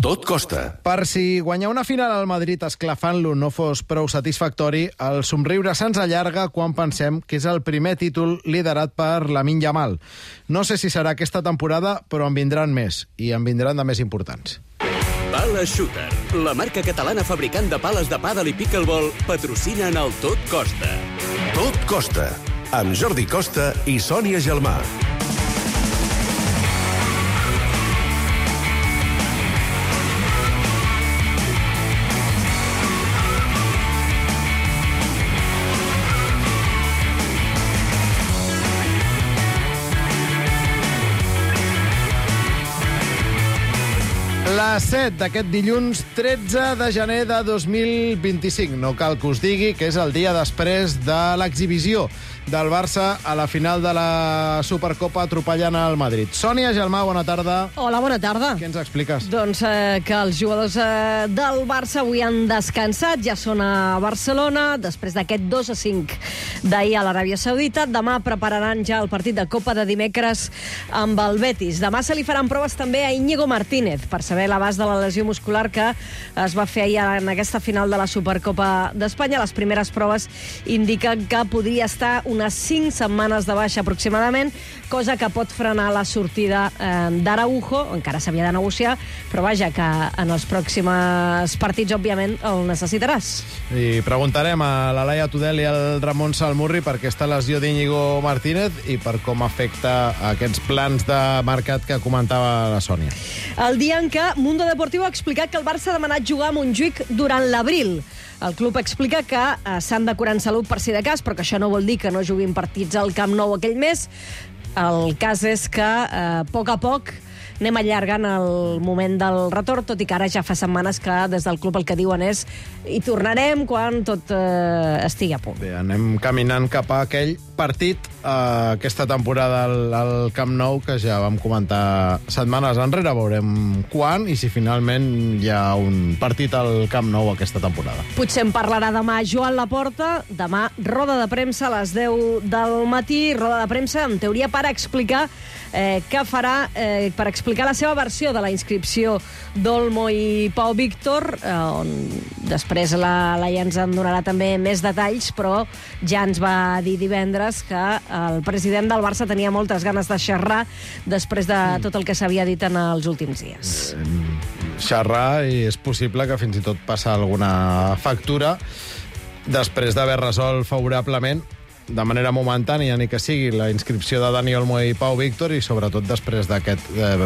Tot costa. Per si guanyar una final al Madrid esclafant-lo no fos prou satisfactori, el somriure se'ns allarga quan pensem que és el primer títol liderat per Lamine Yamal. No sé si serà aquesta temporada, però en vindran més, i en vindran de més importants. Pala Shooter, la marca catalana fabricant de pales de pàdel i pickleball, patrocina en el Tot Costa. Tot costa. Amb Jordi Costa i Sònia Gelmà. Les 7 d'aquest dilluns 13 de gener de 2025. No cal que us digui que és el dia després de l'exhibició del Barça a la final de la Supercopa atropellant al Madrid. Sònia Gelmà, bona tarda. Hola, bona tarda. Què ens expliques? Doncs que els jugadors del Barça avui han descansat, ja són a Barcelona, després d'aquest 2-5 d'ahir a l'Aràbia Saudita. Demà prepararan ja el partit de Copa de dimecres amb el Betis. Demà se li faran proves també a Íñigo Martínez per saber l'abast de la lesió muscular que es va fer ahir en aquesta final de la Supercopa d'Espanya. Les primeres proves indiquen que podria estar unes 5 setmanes de baixa aproximadament, cosa que pot frenar la sortida d'Araujo. Encara s'havia de negociar, però vaja, que en els pròxims partits, òbviament, el necessitaràs. I preguntarem a la Laia Tudel i al Ramon Salmurri per aquesta lesió d'Íñigo Martínez i per com afecta aquests plans de mercat que comentava la Sònia. El dia en què Mundo Deportivo ha explicat que el Barça ha demanat jugar a Montjuïc durant l'abril. El club explica que s'han de curar en salut per si de cas, però que això no vol dir que no juguin partits al Camp Nou aquell mes. El cas és que, a poc anem allargant el moment del retorn, tot i que ara ja fa setmanes que des del club el que diuen és hi tornarem quan tot estigui a punt. Bé, anem caminant cap a aquell partit aquesta temporada al Camp Nou que ja vam comentar setmanes enrere. Veurem quan i si finalment hi ha un partit al Camp Nou aquesta temporada. Potser en parlarà demà Joan Laporta. Demà roda de premsa a les 10 del matí, roda de premsa en teoria per explicar què farà, per explicar la seva versió de la inscripció d'Olmo i Pau Víctor, on després la Laia ens en donarà també més detalls, però ja ens va dir divendres que el president del Barça tenia moltes ganes de xerrar després de tot el que s'havia dit en els últims dies. Xerrar, i és possible que fins i tot passa alguna factura després d'haver resolt favorablement de manera momentània, ni que sigui la inscripció de Dani Olmo i Pau Víctor, i sobretot després d'aquest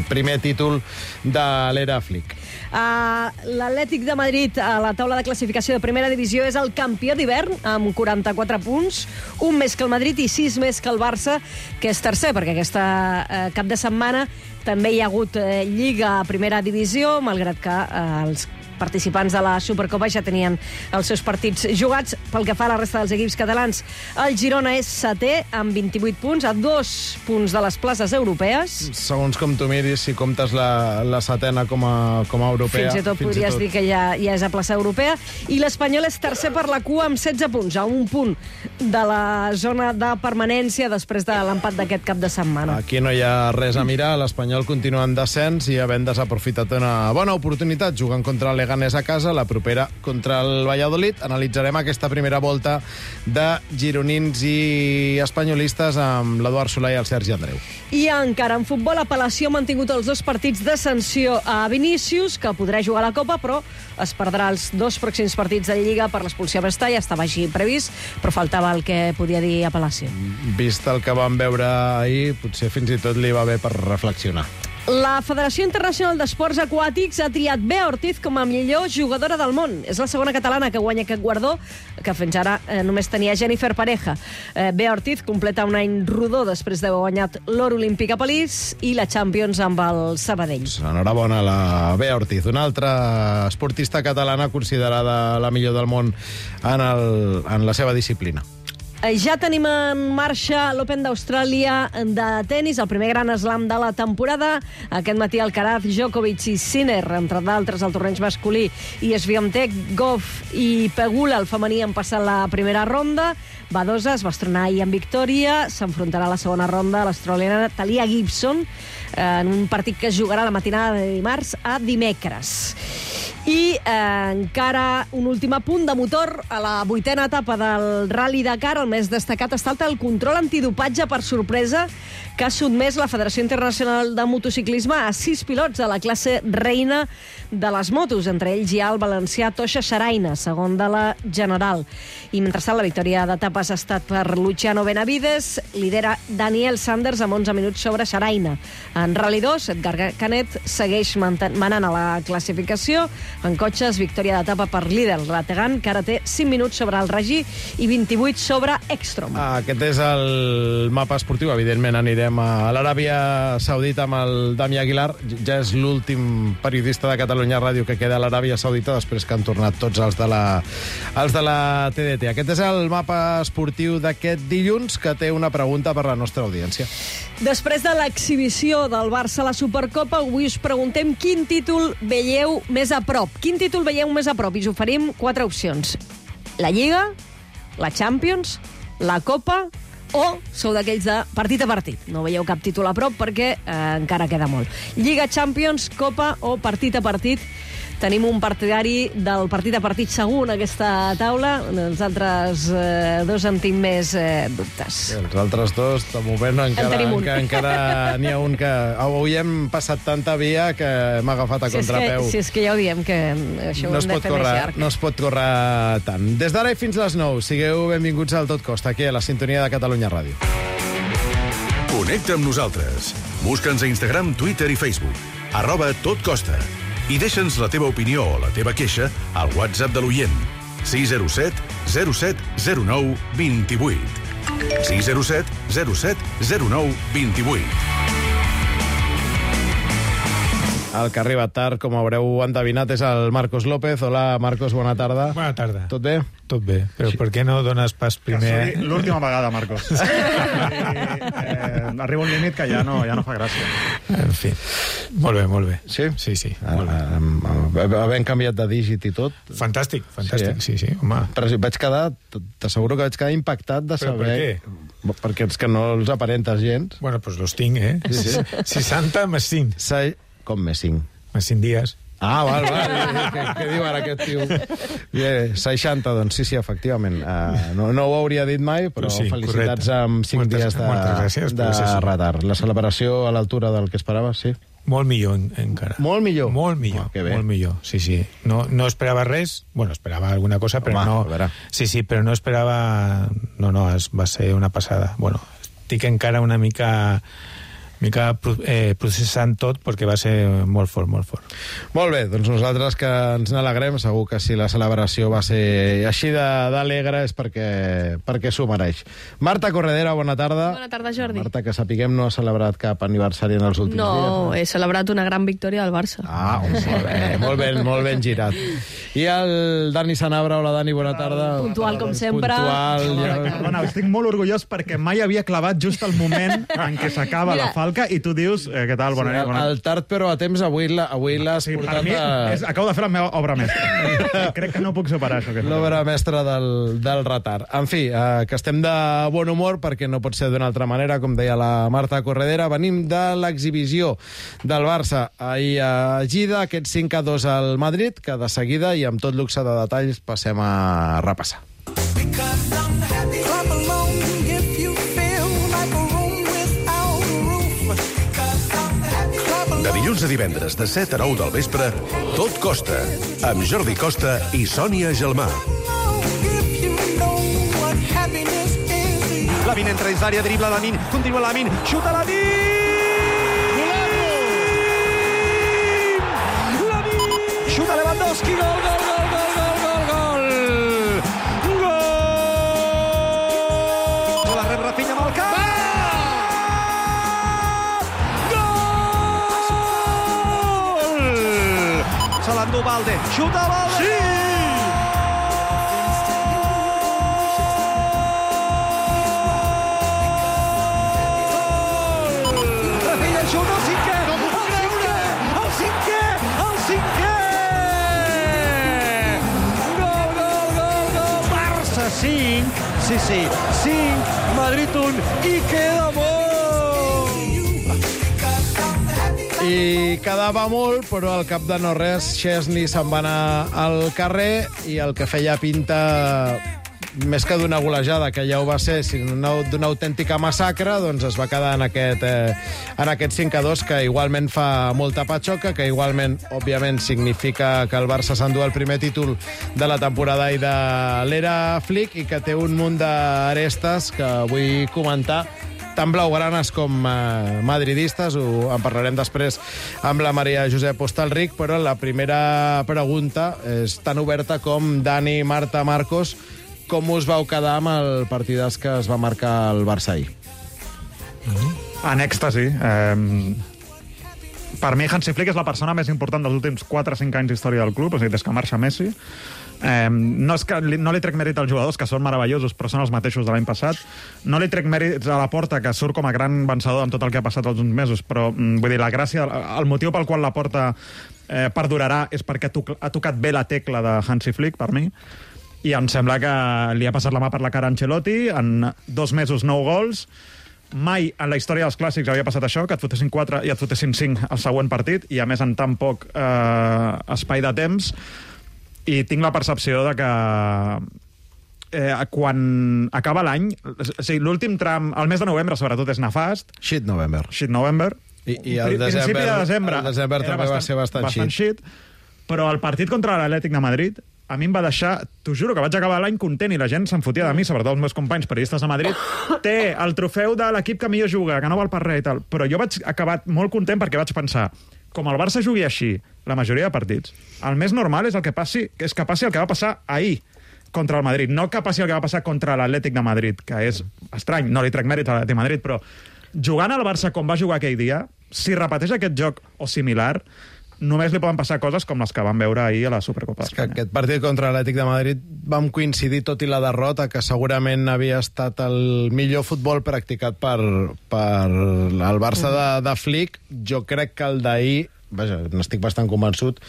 primer títol de l'era Flick. L'Atlètic de Madrid a la taula de classificació de primera divisió és el campió d'hivern amb 44 punts, un més que el Madrid i 6 més que el Barça, que és tercer, perquè aquesta cap de setmana també hi ha hagut Lliga a primera divisió, malgrat que els participants de la Supercopa ja tenien els seus partits jugats. Pel que fa a la resta dels equips catalans, el Girona és setè amb 28 punts, a 2 punts de les places europees. Segons com tu miris, si comptes la setena com a europea... Fins i tot podries dir que ja és a plaça europea. I l'Espanyol és tercer per la cua amb 16 punts, a un punt de la zona de permanència després de l'empat d'aquest cap de setmana. Aquí no hi ha res a mirar. L'Espanyol continua en descens i havent desaprofitat una bona oportunitat jugant contra Leganés a casa, la propera contra el Valladolid. Analitzarem aquesta primera volta de gironins i espanyolistes amb l'Eduard Solà i el Sergi Andreu. I encara en futbol, apel·lació ha mantingut els 2 partits de sanció a Vinícius, que podrà jugar a la Copa, però es perdrà els 2 pròxims partits de Lliga per l'expulsió a Mestalla. Estava així previst, però faltava el que podia dir apel·lació. Vist el que vam veure ahir, potser fins i tot li va bé per reflexionar. La Federació Internacional d'Esports Aquàtics ha triat Bea Ortiz com a millor jugadora del món. És la segona catalana que guanya aquest guardó, que fins ara només tenia Jennifer Pareja. Bea Ortiz completa un any rodó després d'haver guanyat l'or olímpic a París i la Champions amb el Sabadell. Enhorabona a la Bea Ortiz, una altra esportista catalana considerada la millor del món en la seva disciplina. Ja tenim en marxa l'Open d'Austràlia de tennis, el primer gran slam de la temporada. Aquest matí Alcaraz, Djokovic i Sinner, entre d'altres el torneig masculí, i Swiatek, Goff i Pegula, el femení, han passat la primera ronda. Badosa es va estrenar ahir en victòria, s'enfrontarà a la segona ronda a l'australiana Talia Gibson en un partit que es jugarà la matinada de dimarts a dimecres. I encara un últim apunt de motor a la 8a etapa del Rally Dakar. El més destacat ha estat el control antidopatge per sorpresa que ha sotmès la Federació Internacional de Motociclisme a 6 pilots de la classe reina de les motos. Entre ells hi ha el valencià Toixa Xaraina, segon de la general. I mentrestant, la victòria d'etapes ha estat per Luciano Benavides. Lidera Daniel Sanders amb 11 minuts sobre Xaraina. En Rally 2, Edgar Canet segueix manant a la classificació. En cotxes, victòria d'etapa per líder Rategan, que ara té 5 minuts sobre el Regi i 28 sobre Ekstrom. Aquest és el mapa esportiu. Evidentment anirem a l'Aràbia Saudita amb el Dami Aguilar. Ja és l'últim periodista de Catalunya Ràdio que queda a l'Aràbia Saudita després que han tornat tots els de la TDT. Aquest és el mapa esportiu d'aquest dilluns, que té una pregunta per la nostra audiència. Després de l'exhibició del Barça a la Supercopa, avui us preguntem quin títol veieu més a prop. Quin títol veieu més a prop? I us oferim 4 opcions. La Lliga, la Champions, la Copa o sou d'aquells de partit a partit. No veieu cap títol a prop perquè encara queda molt. Lliga, Champions, Copa o partit a partit. Tenim un partidari del partit a partit segur en aquesta taula. Els altres dos en tinc més dubtes. Els altres dos, de moment, encara n'hi ha un que... Avui hem passat tanta via que hem agafat a contrapeu. Si és que ja ho diem, que això ho hem de fer més llarg. No es pot córrer tant. Des d'ara i fins les 9, sigueu benvinguts al Tot Costa, aquí a la sintonia de Catalunya Ràdio. Connecta amb nosaltres. Busca'ns a Instagram, Twitter i Facebook. @totcosta. I deixa'ns la teva opinió o la teva queixa al WhatsApp de l'oient. 607 07 09 28. 607 07 09 28. El que ha arribat tard, com haureu endevinat, és el Marcos López. Hola, Marcos, bona tarda. Bona tarda. Tot bé? Tot bé, però per què no dones pas primer... Que l'última vegada, Marcos. Arriba un límit que ja no fa gràcia. En fi, molt bé. Sí? Sí, molt bé. Havent canviat de dígit i tot. Fantàstic, Sí, sí, home. Però vaig quedar, t'asseguro que vaig quedar impactat de saber... Però per què? Perquè és que no els aparentes gens. Bueno, doncs los tinc, eh? Sí. 60 més 5. Com més 5? Més 5 dies. Ah, val. Què diu ara aquest tio? 60, doncs sí, efectivament. No ho hauria dit mai, però sí, felicitats correcte. Amb 5 dies de retard. La celebració a l'altura del que esperaves, sí? Molt millor, encara. Molt millor? Molt millor, molt millor, sí. No esperava res, bueno, esperava alguna cosa, però no... Sí, però no esperava... No, va ser una passada. Bueno, estic encara una mica processant tot perquè va ser molt fort. Molt bé, doncs nosaltres que ens n'alegrem, segur que si la celebració va ser així d'alegre és perquè s'ho mereix. Marta Corredera, bona tarda. Bona tarda, Jordi. Marta, que sapiguem, no ha celebrat cap aniversari en els últims dies. No, he celebrat una gran victòria del Barça. Ah, molt ben girat. I el Dani Sanabra, hola Dani, bona tarda. Puntual com sempre. Perdona, estic molt orgullós perquè mai havia clavat just el moment en què s'acaba la falca i tu dius, què tal, bona nit. El tard però a temps, avui l'has portat mi, acabo de fer la meva obra mestra. Crec que no puc superar això. L'obra mestra del retard. En fi, que estem de bon humor perquè no pot ser d'una altra manera, com deia la Marta Corredera. Venim de l'exhibició del Barça ahir a Gida, aquest 5-2 al Madrid, que de seguida i amb tot luxe de detalls passem a repassar. De dilluns a divendres, de 7 a 9 del vespre, Tot Costa, amb Jordi Costa i Sònia Gelmà. Lamin entra dins l'àrea, dribla Lamin, continua Lamin, xuta Lamin! Xuta Lewandowski, gol! La rep Rafinha amb el cap! Se l'endú Balde, xuta Balde! Sí! 5, sí, 5, Madrid 1, i queda molt! I quedava molt, però al cap de no res, Szczesny se'n va anar al carrer i el que feia pinta més que d'una golejada, que ja ho va ser, sinó d'una autèntica massacre, doncs es va quedar en aquest 5-2, que igualment fa molta patxoca, que igualment, òbviament, significa que el Barça s'endú el primer títol de la temporada i de l'era Flick, i que té un munt d'arestes que vull comentar, tan blaugranes com madridistes, en parlarem després amb la Maria Josep Hostalric, però la primera pregunta és tan oberta com Dani, Marta, Marcos, com us vau quedar amb el partidàs que es va marcar el Barça ahir? En èxtasi. Per mi, Hansi Flick és la persona més important dels últims 4 o 5 anys d'història del club, és a dir, des que marxa Messi. No li trec mèrit als jugadors, que són meravellosos, però són els mateixos de l'any passat. No li trec mèrits a la Porta, que surt com a gran vencedor amb tot el que ha passat els uns mesos, però vull dir, la gràcia, el motiu pel qual la Porta perdurarà és perquè ha tocat bé la tecla de Hansi Flick, per mi, i em sembla que li ha passat la mà per la cara a Ancelotti, en 2 mesos 9 gols. Mai en la història dels clàssics havia passat això, que et fotessin 4 i et fotessin 5 al següent partit, i a més en tan poc espai de temps. I tinc la percepció de que quan acaba l'any, o sigui, l'últim tram, el mes de novembre sobretot és nefast. Shit November. I el desembre també va ser bastant shit. Però el partit contra l'Atlètic de Madrid a mi em va deixar, t'ho juro, que vaig acabar l'any content i la gent se'n fotia de mi, sobretot els meus companys periodistes de Madrid. Té el trofeu de l'equip que millor juga, que no val per res i tal. Però jo vaig acabar molt content perquè vaig pensar, com el Barça jugui així la majoria de partits, el més normal és que passi el que va passar ahir contra el Madrid, no que passi el que va passar contra l'Atlètic de Madrid, que és estrany, no li trec mèrit a l'Atlètic de Madrid, però jugant al Barça com va jugar aquell dia, si repeteix aquest joc o similar, només li poden passar coses com les que vam veure ahir a la Supercopa d'Espanya. Aquest partit contra l'Atlètic de Madrid vam coincidir, tot i la derrota, que segurament havia estat el millor futbol practicat per el Barça de Flick. Jo crec que el d'ahir, vaja, n'estic bastant convençut,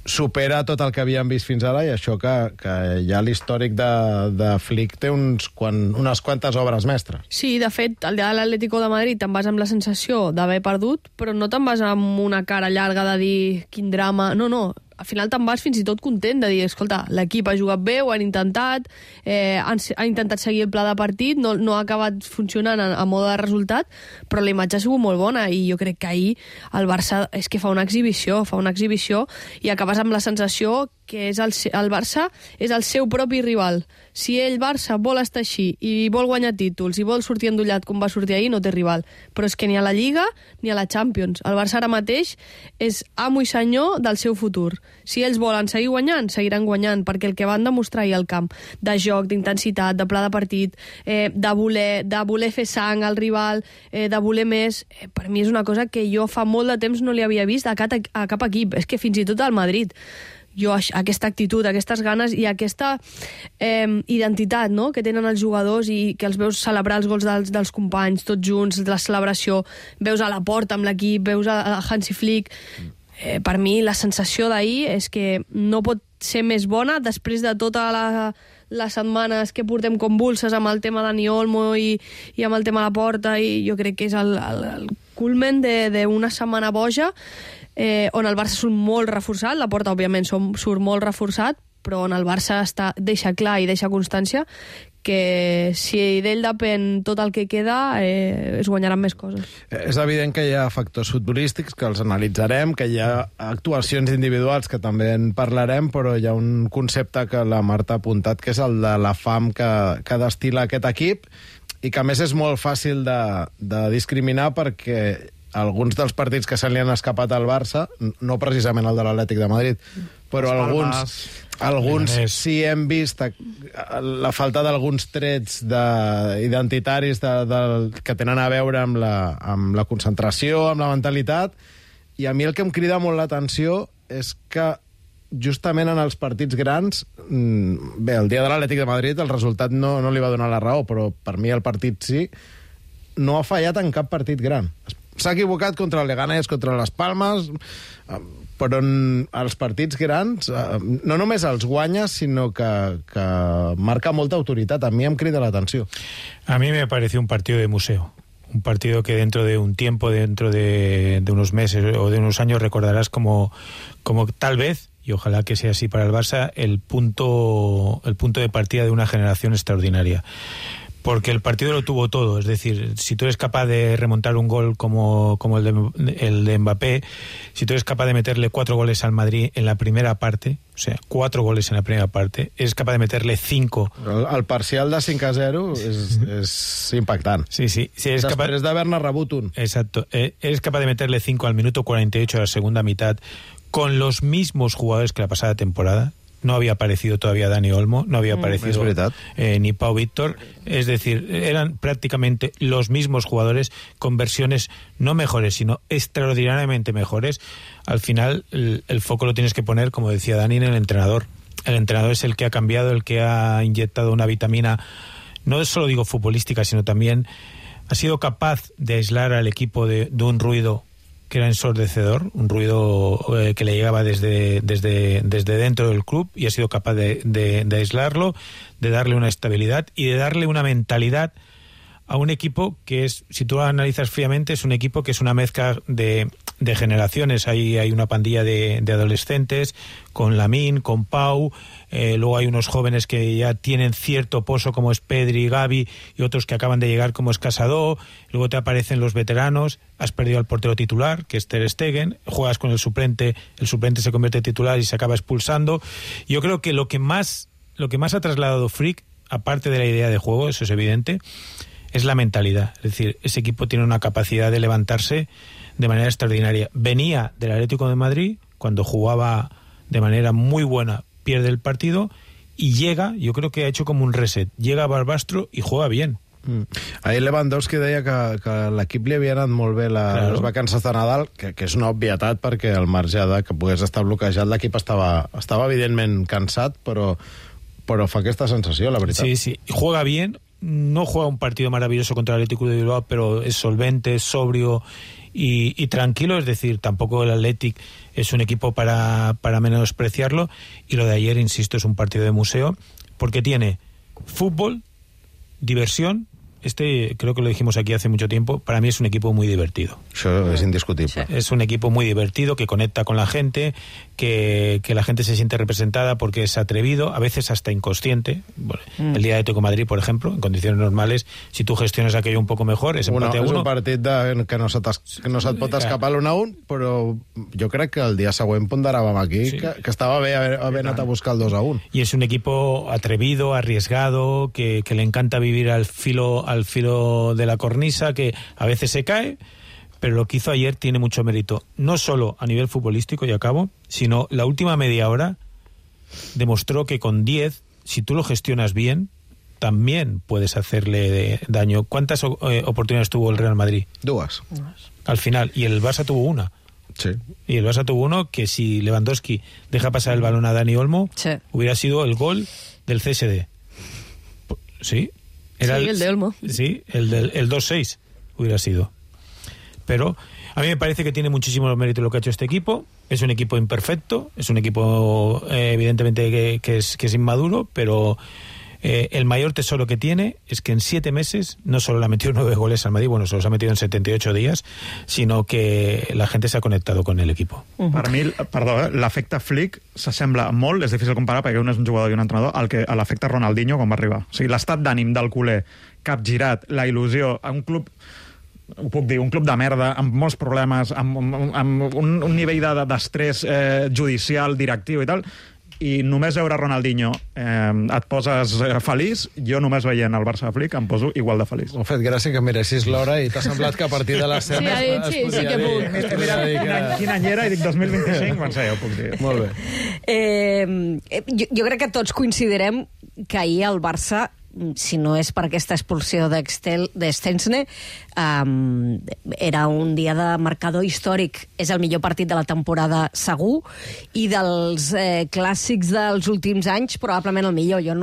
supera tot el que havíem vist fins ara, i això que ja l'històric de Flick té unes quantes obres mestres. Sí, de fet, el dia de l'Atlético de Madrid te'n vas amb la sensació d'haver perdut, però no te'n vas amb una cara llarga de dir quin drama. No, al final te'n vas fins i tot content de dir, escolta, l'equip ha jugat bé, ho han intentat, han intentat seguir el pla de partit, no ha acabat funcionant a mode de resultat, però la imatge ha sigut molt bona, i jo crec que ahir el Barça és que fa una exhibició, i acabes amb la sensació que el Barça és el seu propi rival. Si ell, Barça, vol estar així i vol guanyar títols i vol sortir endollat com va sortir ahir, no té rival. Però és que ni a la Lliga ni a la Champions. El Barça ara mateix és amo i senyor del seu futur. Si ells volen seguir guanyant, seguiran guanyant, perquè el que van demostrar ahir al camp, de joc, d'intensitat, de pla de partit, de voler fer sang al rival, de voler més, per mi és una cosa que jo fa molt de temps no li havia vist a cap equip. És que fins i tot al Madrid. Jo, aquesta actitud, aquestes ganes i aquesta identitat, no?, que tenen els jugadors, i que els veus celebrar els gols dels companys, tots junts, la celebració, veus a la Porta amb l'equip, veus a Hansi Flick. Per mi, la sensació d'ahir és que no pot ser més bona després de tota les setmanes que portem convulses amb el tema Dani Olmo i amb el tema de la Porta, i jo crec que és el culmen d'una setmana boja, on el Barça surt molt reforçat, la Porta, òbviament, surt molt reforçat, però on el Barça deixa clar i deixa constància que si d'ell depèn tot el que queda, es guanyaran més coses. És evident que hi ha factors futbolístics que els analitzarem, que hi ha actuacions individuals que també en parlarem, però hi ha un concepte que la Marta ha apuntat, que és el de la fam que destila aquest equip, i que a més és molt fàcil de discriminar, perquè alguns dels partits que se li han escapat al Barça, no precisament el de l'Atlètic de Madrid, però alguns sí hem vist la falta d'alguns trets identitaris que tenen a veure amb la concentració, amb la mentalitat, i a mi el que em crida molt l'atenció és que justament en els partits grans, bé, el dia de l'Atlètic de Madrid el resultat no li va donar la raó, però per mi el partit sí, no ha fallat en cap partit gran. s'ha equivocat contra el Leganés, contra les Palmes, però en els partits grans no només els guanya, sinó que marca molta autoritat. A mi em crida l'atenció. A mí me pareció un partido de museo. Un partido que dentro de un tiempo, dentro de unos meses o de unos años recordarás como tal vez, y ojalá que sea así para el Barça, el punto de partida de una generación extraordinaria. Porque el partido lo tuvo todo, es decir, si tú eres capaz de remontar un gol como el de Mbappé, si tú eres capaz de meterle 4 goles al Madrid en la primera parte, o sea, 4 goles en la primera parte, eres capaz de meterle 5. El parcial de 5-0 és impactant. Sí, sí. Després d'haver-ne rebut un. Exacto. Eres capaz de meterle 5 al minuto 48 de la segunda mitad con los mismos jugadores que la pasada temporada. No había aparecido todavía Dani Olmo, no había aparecido ni Pau Víctor. Es decir, eran prácticamente los mismos jugadores con versiones no mejores, sino extraordinariamente mejores. Al final, el foco lo tienes que poner, como decía Dani, en el entrenador. El entrenador es el que ha cambiado, el que ha inyectado una vitamina, no solo digo futbolística, sino también ha sido capaz de aislar al equipo de un ruido que era ensordecedor, un ruido que le llegaba desde dentro del club, y ha sido capaz de aislarlo, de darle una estabilidad y de darle una mentalidad a un equipo que es, si tú lo analizas fríamente, es un equipo que es una mezcla de generaciones. Hay una pandilla de adolescentes con Lamine, con Pau, luego hay unos jóvenes que ya tienen cierto pozo como es Pedri, Gavi, y otros que acaban de llegar como es Casado. Luego te aparecen los veteranos, has perdido al portero titular, que es Ter Stegen, juegas con el suplente se convierte en titular y se acaba expulsando. Yo creo que lo que más ha trasladado Flick, aparte de la idea de juego, eso es evidente, es la mentalidad. Es decir, ese equipo tiene una capacidad de levantarse de manera extraordinaria. Venía del Atlético de Madrid, cuando jugaba de manera muy buena, pierde el partido, y llega, yo creo que ha hecho como un reset, llega a Barbastro y juega bien. Ahir Lewandowski deia que l'equip li havia anat molt bé les vacances de Nadal, que és una obvietat, perquè al marge de que pogués estar bloquejat, l'equip estava evidentment cansat, però fa aquesta sensació, la veritat. Sí, sí, juega bien, no juega un partido maravilloso contra el Atlético de Bilbao, pero es solvente, es sobrio y tranquilo. Es decir, tampoco el Athletic es un equipo para menospreciarlo. Y lo de ayer, insisto, es un partido de museo, porque tiene fútbol, diversión. Creo que lo dijimos aquí hace mucho tiempo, para mí es un equipo muy divertido. Eso es indiscutible. Es un equipo muy divertido, que conecta con la gente, que la gente se siente representada porque es atrevido, a veces hasta inconsciente. Bueno, el día de Atlético de Madrid, por ejemplo, en condiciones normales, si tú gestionas aquello un poco mejor, es empate a 1. És un partit que no se't pot escapar l'1-1, però jo crec que el dia següent ponderàvem aquí que estava bé haver anat a buscar el 2-1. Y es un equipo atrevido, arriesgado, que le encanta vivir al filo de la cornisa, que a veces se cae, pero lo que hizo ayer tiene mucho mérito, no solo a nivel futbolístico, y acabo, sino la última media hora demostró que con 10, si tú lo gestionas bien, también puedes hacerle daño. ¿Cuántas oportunidades tuvo el Real Madrid? 2. Al final, y el Barça tuvo una. Sí. Y el Barça tuvo uno que, si Lewandowski deja pasar el balón a Dani Olmo, hubiera sido el gol del CSD. ¿Sí? El de Olmo. Sí, el 2-6 hubiera sido. Pero a mí me parece que tiene muchísimo mérito lo que ha hecho este equipo. Es un equipo imperfecto, es un equipo evidentemente que es inmaduro, pero el mayor tesoro que tiene es que en 7 meses no solo le ha metido 9 goles al Madrid, bueno, se los ha metido en 78 días, sino que la gente se ha conectado con el equipo. Per mi, perdó, l'efecte Flick s'assembla molt, és difícil comparar perquè un és un jugador i un entrenador, a l'efecte Ronaldinho quan va arribar. O sigui, l'estat d'ànim del culer, capgirat, la il·lusió, a un club, ho puc dir, un club de merda, amb molts problemes, amb un nivell d'estrès judicial, directiu i tal, i només veure Ronaldinho et poses feliç. Jo només veient el Barça de Flick em poso igual de feliç. M'ha fet gràcia que miressis l'hora i t'ha semblat que a partir de les 7 sí que puc. He mirat quin any era i dic 2025, quan sé, ja ho puc dir. Molt bé. Jo crec que tots coincidirem que ahir el Barça si no és per aquesta expulsió d'Stensne, era un dia de marcador històric. És el millor partit de la temporada segur, i dels clàssics dels últims anys probablement el millor. Jo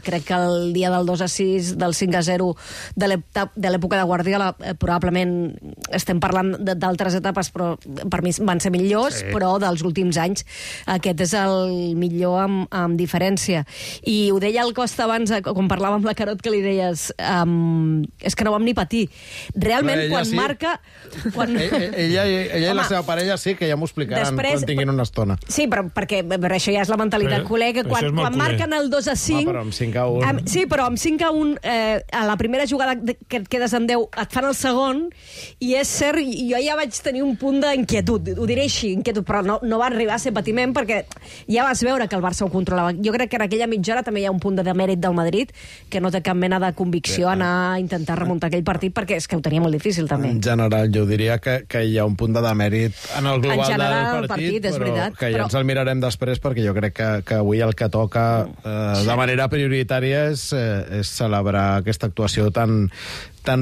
crec que el dia del 2-6, del 5-0 de l'època de Guardiola, probablement estem parlant d'altres etapes, però per mi van ser millors, però dels últims anys aquest és el millor amb diferència. I ho deia el Costa abans, quan parlàvem amb la Carot, que li deies és que no vam ni patir. Realment, quan marca... Ella i la seva parella sí, que ja m'ho explicaran quan tinguin una estona. Sí, però perquè això ja és la mentalitat col·lega. Quan marquen el 2-5... Però amb 5-1... Sí, però amb 5-1, a la primera jugada que et quedes amb 10, et fan el segon, i és cert, jo ja vaig tenir un punt d'inquietud, ho diré així, inquietud, però no va arribar a ser patiment, perquè ja vas veure que el Barça ho controlava. Jo crec que en aquella mitja hora també hi ha un punt de demèrit del Madrid, que no té cap mena de convicció a anar a intentar remuntar aquell partit, perquè és que ho tenia molt difícil, també. En general, jo diria que hi ha un punt de demèrit en el global del partit, però que ja ens el mirarem després, perquè jo crec que avui el que toca de manera prioritària és celebrar aquesta actuació tan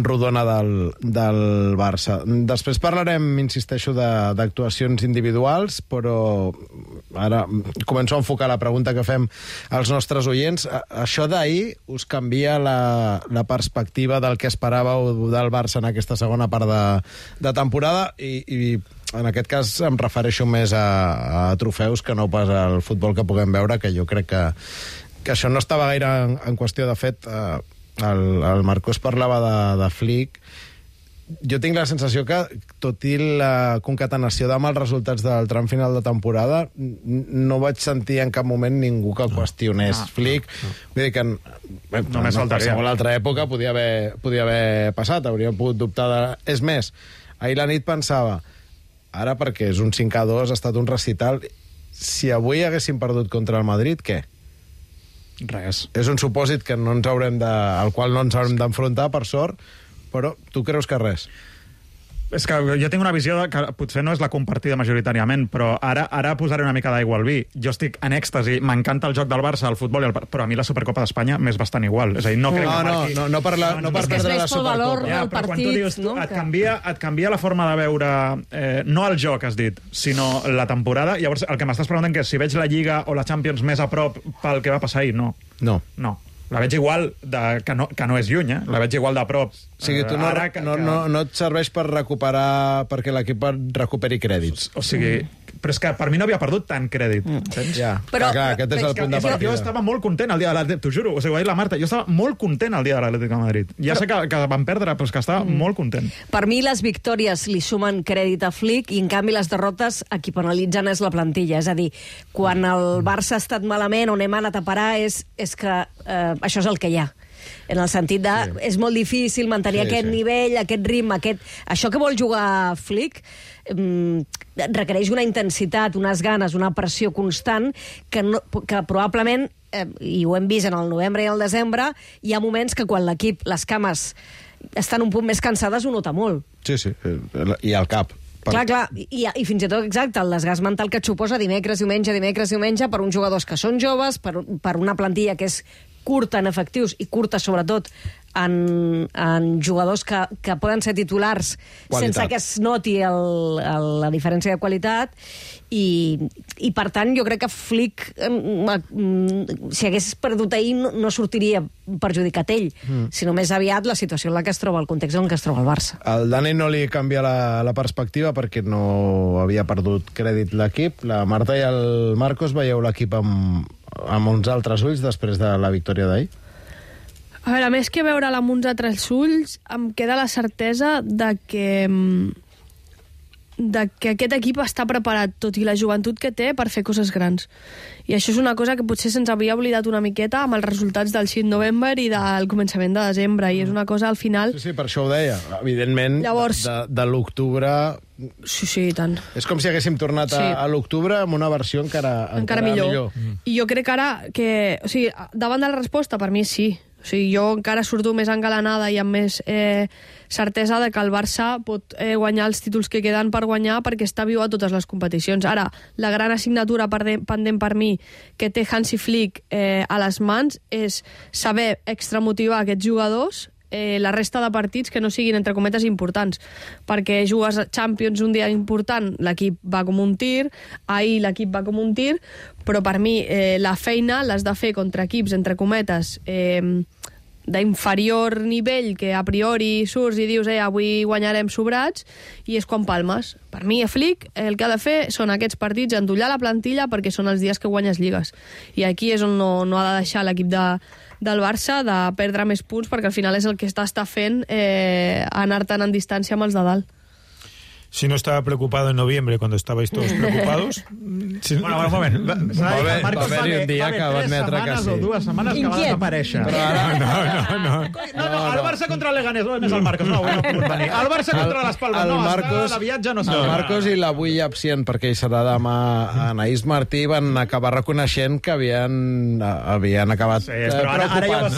rodona del Barça. Després parlarem, insisteixo, d'actuacions individuals, però ara començo a enfocar la pregunta que fem als nostres oients. Això d'ahir us canvia la perspectiva del que esperàveu del Barça en aquesta segona part de temporada, i en aquest cas em refereixo més a trofeus que no pas al futbol que puguem veure, que jo crec que això no estava gaire en qüestió. De fet, el Marcos parlava de Flick. Jo tinc la sensació que, tot i la concatenació de mals resultats del tram final de temporada, no vaig sentir en cap moment ningú que qüestionés Flick. Vull dir que en qualsevol altra època podia haver passat, hauríem pogut dubtar de... És més, ahir la nit pensava, ara perquè és un 5-2, ha estat un recital, si avui haguéssim perdut contra el Madrid, què? Res. És un supòsit que al qual no ens haurem d'enfrontar, per sort, però tu creus que res? És que jo tinc una visió que potser no és la compartida majoritàriament, però ara posaré una mica d'aigua al vi. Jo estic en èxtasi, m'encanta el joc del Barça, el futbol, però a mi la Supercopa d'Espanya m'és bastant igual. És a dir, no crec que marqui... No per perdre la Supercopa. Ja, però quan tu dius, et canvia la forma de veure, no el joc, has dit, sinó la temporada. Llavors, el que m'estàs preguntant que si veig la Lliga o la Champions més a prop pel que va passar ahir, no. No. La veig igual, que no és lluny, la veig igual de prop. O sigui, tu no et serveix per recuperar, perquè l'equip recuperi crèdits. O sigui, però és que per mi no havia perdut tant crèdit. Ja, però clar, aquest és el punt de partida. Jo estava molt content el dia de l'Atlètic, t'ho juro, o sigui, ho ha dit la Marta, jo estava molt content el dia de l'Atlètic de Madrid. Ja sé que van perdre, però és que estava molt content. Per mi les victòries li sumen crèdit a Flick, i en canvi les derrotes a qui penalitzen és la plantilla. És a dir, quan el Barça ha estat malament, on hem anat a parar, és que això és el que hi ha. En el sentit de... Sí. És molt difícil mantenir aquest nivell, aquest ritme, això que vol jugar Flick requereix una intensitat, unes ganes, una pressió constant que probablement, i ho hem vist en el novembre i el desembre, hi ha moments que quan l'equip, les cames, estan un punt més cansades, ho nota molt. Sí, i al cap. Clar, i fins i tot, exacte, el desgast mental que et suposa dimecres, diumenge, per uns jugadors que són joves, per una plantilla que és curta en efectius i curta, sobretot, en jugadors que poden ser titulars sense que es noti la diferència de qualitat, i per tant jo crec que Flick, si hagués perdut ahir, no sortiria perjudicat ell, sinó més aviat la situació en la que es troba, el context en què es troba el Barça. Al Dani no li canvia la perspectiva perquè no havia perdut crèdit l'equip. La Marta i el Marcos veieu l'equip amb uns altres ulls després de la victòria d'ahir? A veure, més que veure'l amb uns altres ulls, em queda la certesa de que aquest equip està preparat, tot i la joventut que té, per fer coses grans. I això és una cosa que potser se'ns havia oblidat una miqueta amb els resultats del 6 de novembre i del començament de desembre, i és una cosa, al final... Sí, per això ho deia. Evidentment, llavors, de l'octubre... Sí, i tant. És com si haguéssim tornat a l'octubre amb una versió encara millor. I jo crec ara que... O sigui, davant de la resposta, per mi sí. O O sigui, jo encara surto més engalanada i amb més certesa de que el Barça pot guanyar els títols que queden per guanyar perquè està viu a totes les competicions. Ara, la gran assignatura pendent per mi que té Hansi Flick a les mans és saber extramotivar aquests jugadors la resta de partits que no siguin, entre cometes, importants. Perquè jugues a Champions un dia important, l'equip va com un tir, ahir l'equip va com un tir, però per mi la feina l'has de fer contra equips, entre cometes, d'inferior nivell, que a priori surts i dius avui guanyarem sobrats, i és quan palmes. Per mi, a Flick, el que ha de fer són aquests partits, endollar la plantilla, perquè són els dies que guanyes lligues. I aquí és on no ha de deixar l'equip del Barça de perdre més punts, perquè al final és el que està fent anar tan en distància amb els de dalt. Si no estaba preocupado en noviembre, cuando estabais todos preocupados... Bueno, un moment. Va haver un dia que va admetre que sí. O 2 setmanes que va desaparèixer. No. El Barça contra el Leganés. On és el Marcos? No, avui no ha pogut venir. El Barça contra les Palmes. No, està de viatge, no s'ha. El Marcos i l'avui absent, perquè ell serà demà, Anaïs Martí, van acabar reconeixent que havien acabat preocupats.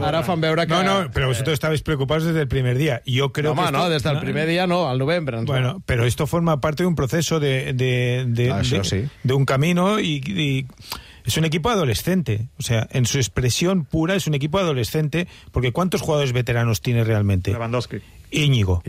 Ara fan veure que... No, pero vosotros estabais preocupados desde el primer día. Yo creo que no, desde el primer día no, al novembre. Bueno, pero esto forma parte de un proceso de un camino y es un equipo adolescente. O sea, en su expresión pura es un equipo adolescente, porque ¿cuántos jugadores veteranos tiene realmente? Lewandowski. Íñigo.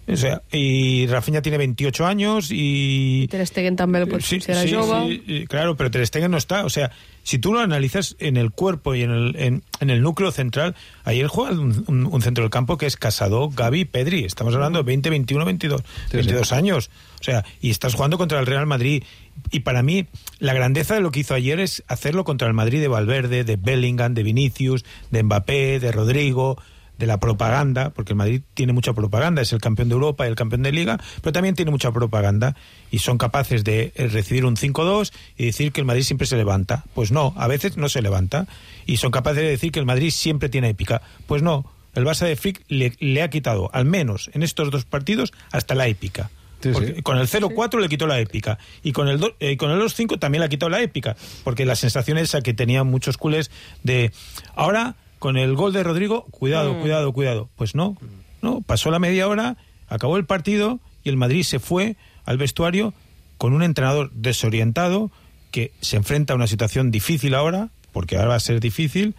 O sea, y Rafinha tiene 28 años y... Ter Stegen també, pues, si era jove. Sí, claro, pero Ter Stegen no está. O sea, si tú lo analizas en el cuerpo y en el núcleo central, ayer juega un centro del campo que es Casado, Gavi, Pedri. Estamos hablando de 20, 21, 22 años. O sea, y estás jugando contra el Real Madrid. Y para mí, la grandeza de lo que hizo ayer es hacerlo contra el Madrid de Valverde, de Bellingham, de Vinicius, de Mbappé, de Rodrigo, de la propaganda, porque el Madrid tiene mucha propaganda, es el campeón de Europa y el campeón de Liga, pero también tiene mucha propaganda, y son capaces de recibir un 5-2 y decir que el Madrid siempre se levanta. Pues no, a veces no se levanta, y son capaces de decir que el Madrid siempre tiene épica. Pues no, el Barça de Flick le ha quitado, al menos en estos 2 partidos, hasta la épica. Porque con el 0-4 le quitó la épica, y con el 2-5 también le ha quitado la épica, porque la sensación esa que tenían muchos culés de ahora... Con el gol de Rodrigo, cuidado. Pues no, pasó la media hora, acabó el partido y el Madrid se fue al vestuario con un entrenador desorientado que se enfrenta a una situación difícil ahora, porque ahora va a ser difícil,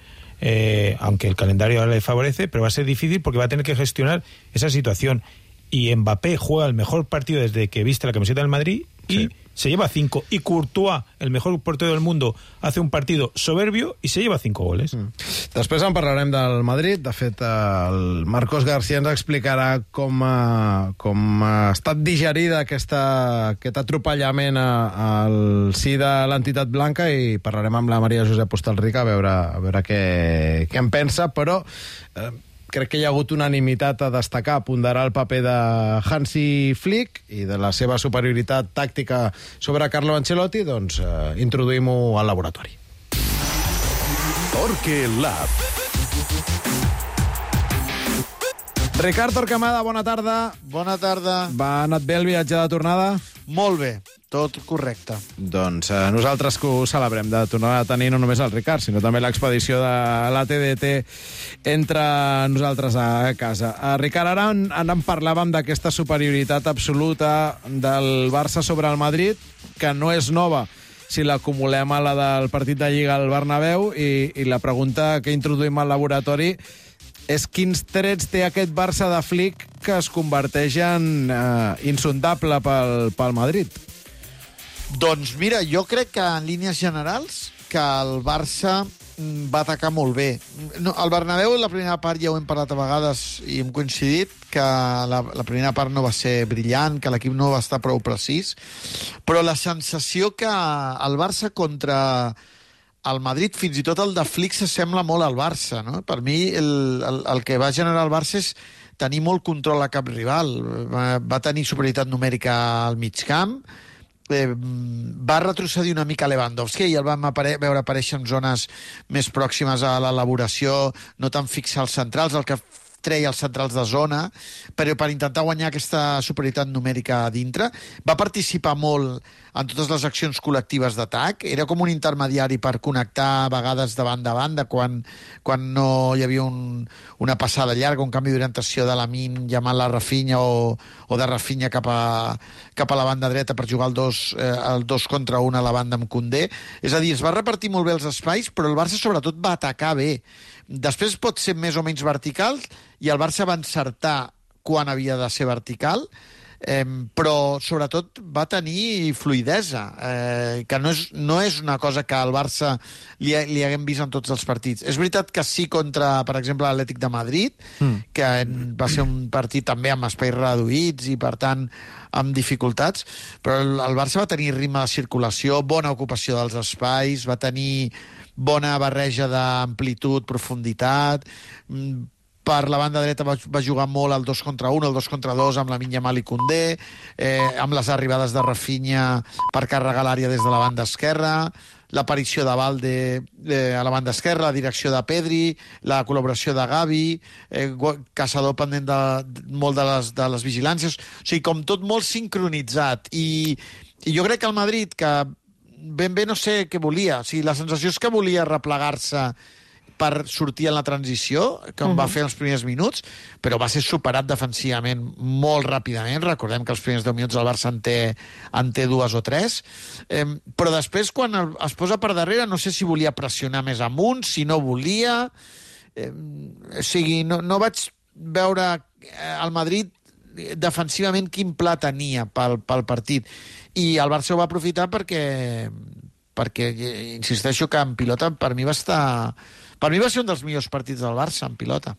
aunque el calendario ahora le favorece, pero va a ser difícil porque va a tener que gestionar esa situación. Y Mbappé juega el mejor partido desde que viste la camiseta del Madrid y se lleva 5. Y Courtois, el mejor portero del mundo, hace un partido soberbio y se lleva 5 goles. Després en parlarem del Madrid. De fet, el Marcos García ens explicarà com ha estat digerida aquest atropellament al si de l'entitat blanca, i parlarem amb la Maria Josep Hostalric a veure què en pensa, però... crec que hi ha hagut unanimitat a destacar, a ponderar el paper de Hansi Flick i de la seva superioritat tàctica sobre Carlo Ancelotti. Doncs introduïm-ho al laboratori. Torque Lab. Ricard Torquemada, bona tarda. Bona tarda. Va anat bé el viatge de tornada? Molt bé, tot correcte. Doncs nosaltres que ho celebrem, de tornar a tenir no només el Ricard, sinó també l'expedició de la TDT entre nosaltres a casa. Ricard, ara en parlàvem d'aquesta superioritat absoluta del Barça sobre el Madrid, que no és nova si l'acumulem a la del partit de Lliga al Bernabéu, i la pregunta que introduïm al laboratori és quins trets té aquest Barça de Flick que es converteix en insondable pel Madrid. Doncs mira, jo crec que en línies generals que el Barça va atacar molt bé. No, al Bernabéu, la primera part ja ho hem parlat a vegades i hem coincidit que la primera part no va ser brillant, que l'equip no va estar prou precís, però la sensació que el Barça contra el Madrid, fins i tot el de Flick, s'assembla molt al Barça, no? Per mi el que va generar el Barça és tenir molt control a cap rival. Va tenir superioritat numèrica al mig camp, va retrocedir una mica Lewandowski i el vam veure aparèixer en zones més pròximes a l'elaboració, no tan fixar els centrals, el que treia els centrals de zona, però per intentar guanyar aquesta superioritat numèrica a dintre. Va participar molt en totes les accions col·lectives d'atac. Era com un intermediari per connectar a vegades de banda a banda quan no hi havia una passada llarga, un canvi d'orientació de Lamine llamant la Rafinha o de Rafinha cap a la banda dreta per jugar el 2 contra 1 a la banda amb Koundé. És a dir, es va repartir molt bé els espais, però el Barça sobretot va atacar bé. Després pot ser més o menys vertical i el Barça va encertar quan havia de ser vertical, però sobretot va tenir fluidesa, que no és una cosa que al Barça li haguem vist en tots els partits. És veritat que sí contra, per exemple, l'Atlètic de Madrid, que va ser un partit també amb espais reduïts i, per tant, amb dificultats, però el Barça va tenir ritme de circulació, bona ocupació dels espais, va tenir bona barreja d'amplitud, profunditat. Per la banda dreta va jugar molt el 2 contra 1, el 2 contra 2 amb Lamine Yamal i Koundé, amb les arribades de Rafinha per carregar l'àrea des de la banda esquerra, l'aparició de Valde a la banda esquerra, la direcció de Pedri, la col·laboració de Gavi, Caçador pendent molt de les vigilàncies. O sigui, com tot molt sincronitzat. I jo crec que el Madrid, que ben bé no sé què volia, o sigui, la sensació és que volia replegar-se per sortir en la transició, com va fer els primers minuts, però va ser superat defensivament molt ràpidament. Recordem que els primers 10 minuts el Barça en té 2 o 3. Però després, quan es posa per darrere, no sé si volia pressionar més amunt, si no volia. O sigui, no vaig veure el Madrid defensivament quin pla tenia pel partit. I el Barça ho va aprofitar perquè insisteixo que en pilota per mi va ser un dels millors partits del Barça en pilota.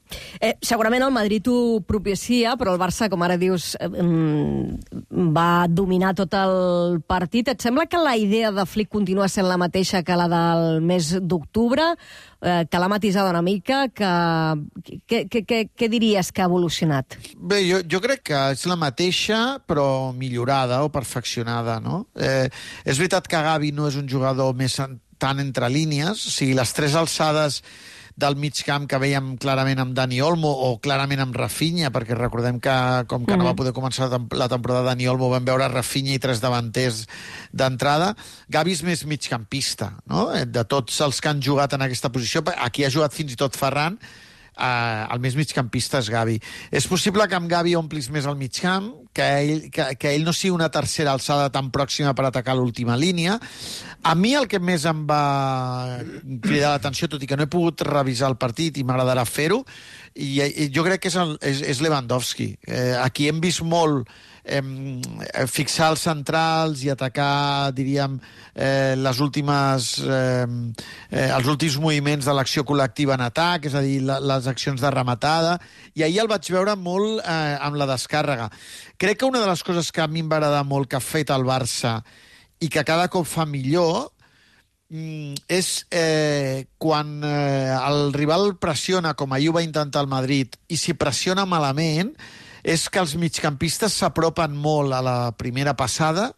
Segurament el Madrid ho propicia, però el Barça, com ara dius, va dominar tot el partit. Et sembla que la idea de Flick continua sent la mateixa que la del mes d'octubre, que l'ha matisada una mica? Què diries que ha evolucionat? Bé, jo crec que és la mateixa, però millorada o perfeccionada, no? És veritat que Gavi no és un jugador més tant entre línies, o sigui, les 3 alçades del mig camp que veiem clarament amb Dani Olmo o clarament amb Rafinha, perquè recordem que com que no va poder començar la temporada Dani Olmo, vam veure Rafinha i 3 davanters d'entrada. Gavi és més migcampista, no? De tots els que han jugat en aquesta posició, aquí ha jugat fins i tot Ferran, el més migcampista és Gavi. És possible que amb Gavi omplis més el migcamp, que ell no sigui una tercera alçada tan pròxima per atacar l'última línia. A mi el que més em va cridar l'atenció, tot i que no he pogut revisar el partit i m'agradarà fer-ho, i jo crec que és Lewandowski. Aquí hem vist molt fixar els centrals i atacar, diríem, els últims moviments de l'acció col·lectiva en atac, és a dir, les accions de rematada, i ahir el vaig veure molt amb la descàrrega. Crec que una de les coses que a mi em va agradar molt que ha fet el Barça i que cada cop fa millor és quan el rival pressiona, com ahir ho va intentar el Madrid, i si pressiona malament, és que els migcampistes s'apropen molt a la primera passada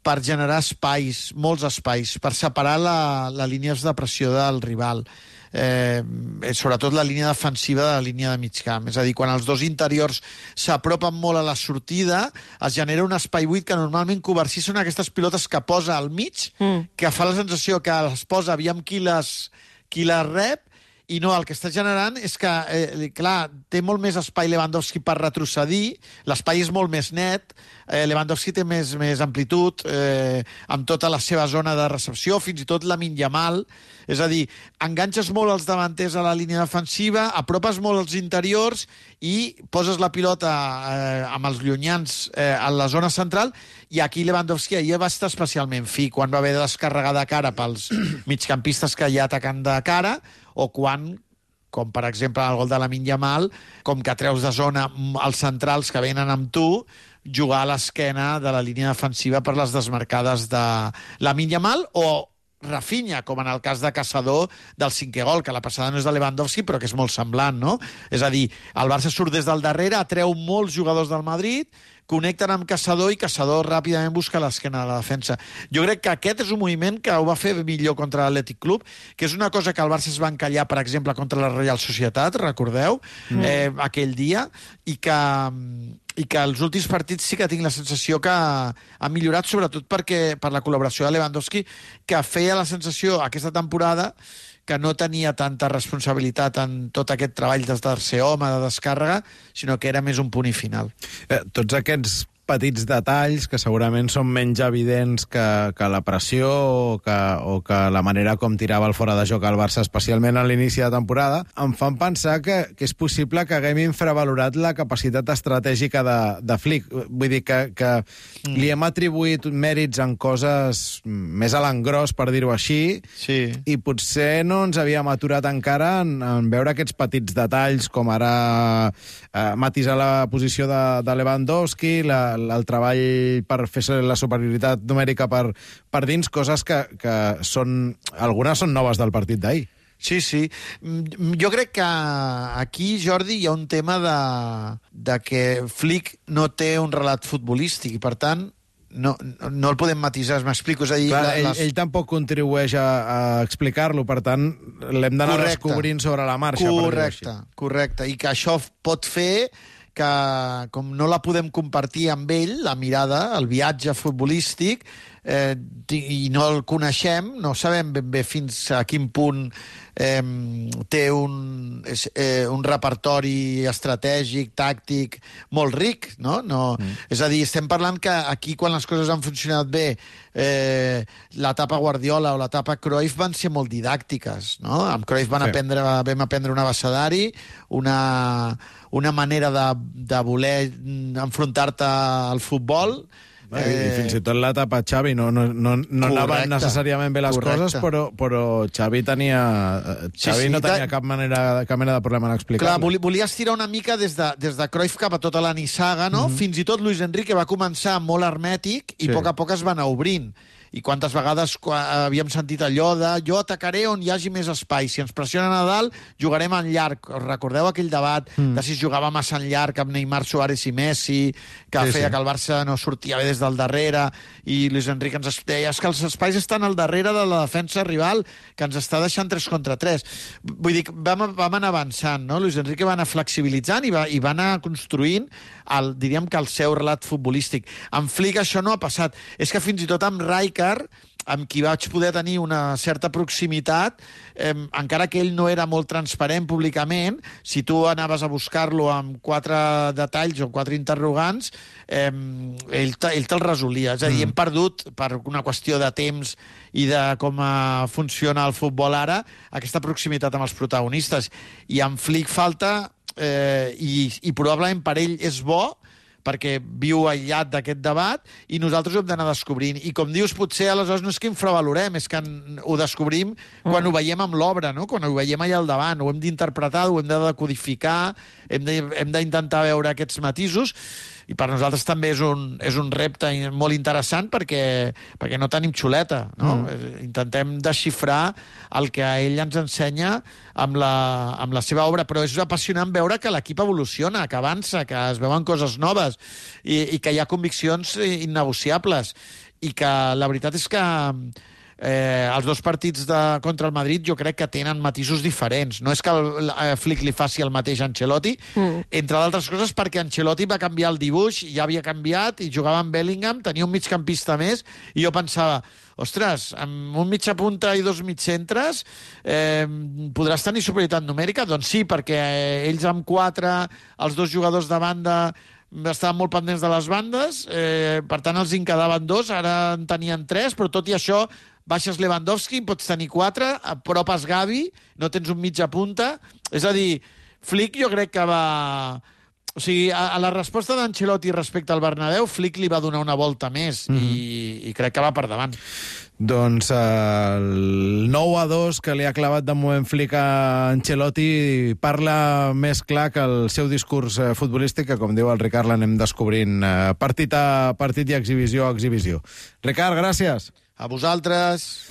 per generar espais, molts espais, per separar la línia de pressió del rival. Sobretot la línia defensiva de la línia de mig camp. És a dir, quan els dos interiors s'apropen molt a la sortida, es genera un espai buit que normalment Covarsí són aquestes pilotes que posa al mig, que fa la sensació que les posa aviam qui les rep, i no, el que està generant és que, clar, té molt més espai Lewandowski per retrocedir, l'espai és molt més net, Lewandowski té més amplitud, amb tota la seva zona de recepció, fins i tot Lamine Yamal, és a dir, enganxes molt els davanters a la línia defensiva, apropes molt els interiors i poses la pilota amb els llunyans a la zona central, i aquí Lewandowski ahir va estar especialment fi, quan va haver de descarregar de cara pels migcampistes que hi ha atacant de cara, o quan, com per exemple el gol de Lamine Yamal, com que treus de zona els centrals que venen amb tu, jugar a l'esquena de la línia defensiva per les desmarcades de Lamine Yamal, o Rafinha, com en el cas de Caçador del 5è gol, que la passada no és de Lewandowski, però que és molt semblant, no? És a dir, el Barça surt des del darrere, atreu molts jugadors del Madrid, connecten amb Caçador i Caçador ràpidament busca l'esquena de la defensa. Jo crec que aquest és un moviment que ho va fer millor contra l'Atlètic Club, que és una cosa que el Barça es va encallar, per exemple, contra la Real Societat, recordeu, aquell dia, i que que els últims partits sí que tinc la sensació que ha millorat, sobretot per la col·laboració de Lewandowski, que feia la sensació aquesta temporada que no tenia tanta responsabilitat en tot aquest treball de tercer home, de descàrrega, sinó que era més un punt i final. Tots aquests petits detalls que segurament són menys evidents que la pressió o que la manera com tirava el fora de joc al Barça, especialment a l'inici de temporada, em fan pensar que és possible que haguem infravalorat la capacitat estratègica de Flick. Vull dir que li hem atribuït mèrits en coses més a l'engròs, per dir-ho així, i potser no ens havíem aturat encara en veure aquests petits detalls, com ara matisar la posició de Lewandowski, el treball per fer la superioritat numèrica per dins, coses que algunes són noves del partit d'ahir. Sí. Jo crec que aquí, Jordi, hi ha un tema de que Flick no té un relat futbolístic i, per tant, no el podem matisar, m'explico. És a dir, ell tampoc contribueix a explicar-lo, per tant, l'hem d'anar descobrint sobre la marxa. Correcte. I que això pot fer que, com no la podem compartir amb ell, la mirada, el viatge futbolístic, i no el coneixem, no sabem ben bé fins a quin punt té un repertori estratègic, tàctic, molt ric, no? És a dir, estem parlant que aquí, quan les coses han funcionat bé, l'etapa Guardiola o l'etapa Cruyff van ser molt didàctiques, no? Amb Cruyff vam aprendre un abecedari, una manera de voler enfrontar-te al futbol. I fins i tot l'etapa Xavi no anaven necessàriament bé les coses, però Xavi no tenia cap mena de problema en explicar-ho. Clar, volia estirar una mica des de Cruyff cap a tota la nissaga, no? Fins i tot Luis Enrique va començar molt hermètic i a poc a poc es va anar obrint. I quantes vegades havíem sentit allò de jo atacaré on hi hagi més espai. Si ens pressionen a dalt, jugarem en llarg. Recordeu aquell debat de si es jugava massa en llarg amb Neymar, Suárez i Messi, que feia que el Barça no sortia bé des del darrere, i Luis Enrique ens deia que els espais estan al darrere de la defensa rival, que ens està deixant 3 contra 3. Vull dir, vam anar avançant, no? Luis Enrique va anar flexibilitzant i va anar construint diríem que el seu relat futbolístic. Amb Flick això no ha passat. És que fins i tot amb Rijkaard, amb qui vaig poder tenir una certa proximitat, encara que ell no era molt transparent públicament, si tu anaves a buscar-lo amb 4 detalls o 4 interrogants, ell te'l resolia. És a dir, hem perdut, per una qüestió de temps i de com funciona el futbol ara, aquesta proximitat amb els protagonistes. I amb Flick falta, i probablement per ell és bo, perquè viu aïllat d'aquest debat, i nosaltres ho hem d'anar descobrint. I com dius, potser aleshores no és que infravalorem, és que ho descobrim quan ho veiem amb l'obra, no? Quan ho veiem allà al davant. Ho hem d'interpretar, ho hem de decodificar, hem d'intentar veure aquests matisos, i per nosaltres també és un repte molt interessant perquè no tenim xuleta, no? Intentem desxifrar el que ell ens ensenya amb la seva obra, però és apassionant veure que l'equip evoluciona, que avança, que es veuen coses noves i que hi ha conviccions innegociables, i que la veritat és que els 2 partits contra el Madrid jo crec que tenen matisos diferents. No és que Flick li faci el mateix a Ancelotti, entre d'altres coses perquè Ancelotti va canviar el dibuix, ja havia canviat, i jugava amb Bellingham, tenia un migcampista més, i jo pensava, ostres, amb un mitja punta i 2 mitjantres podràs tenir superioritat numèrica? Doncs sí, perquè ells amb 4, els 2 jugadors de banda estaven molt pendents de les bandes, per tant els en quedaven 2, ara en tenien 3, però tot i això baixes Lewandowski, pots tenir 4, apropes Gavi, no tens un mitja punta. És a dir, Flick jo crec que va... O sigui, a la resposta d'Ancelotti respecte al Bernabéu, Flick li va donar una volta més i crec que va per davant. Doncs el 9-2 que li ha clavat de moment Flick a Ancelotti parla més clar que el seu discurs futbolístic, que, com diu el Ricard, l'anem descobrint partit a partit i exhibició a exhibició. Ricard, gràcies. A vosaltres.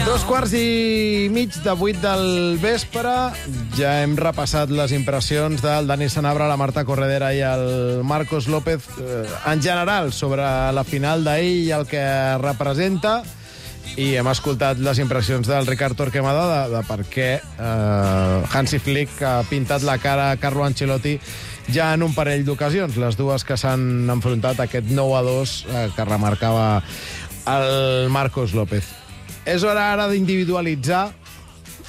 Dos quarts i mig de 8 del vespre. Ja hem repassat les impressions del Dani Sanabra, la Marta Corredera i el Marcos López en general sobre la final d'ahir i el que representa. i hem escoltat les impressions del Ricard Torquemada de per què Hansi Flick ha pintat la cara a Carlo Ancelotti ja en un parell d'ocasions, les dues que s'han enfrontat, aquest 9-2 que remarcava el Marcos López. És hora ara d'individualitzar,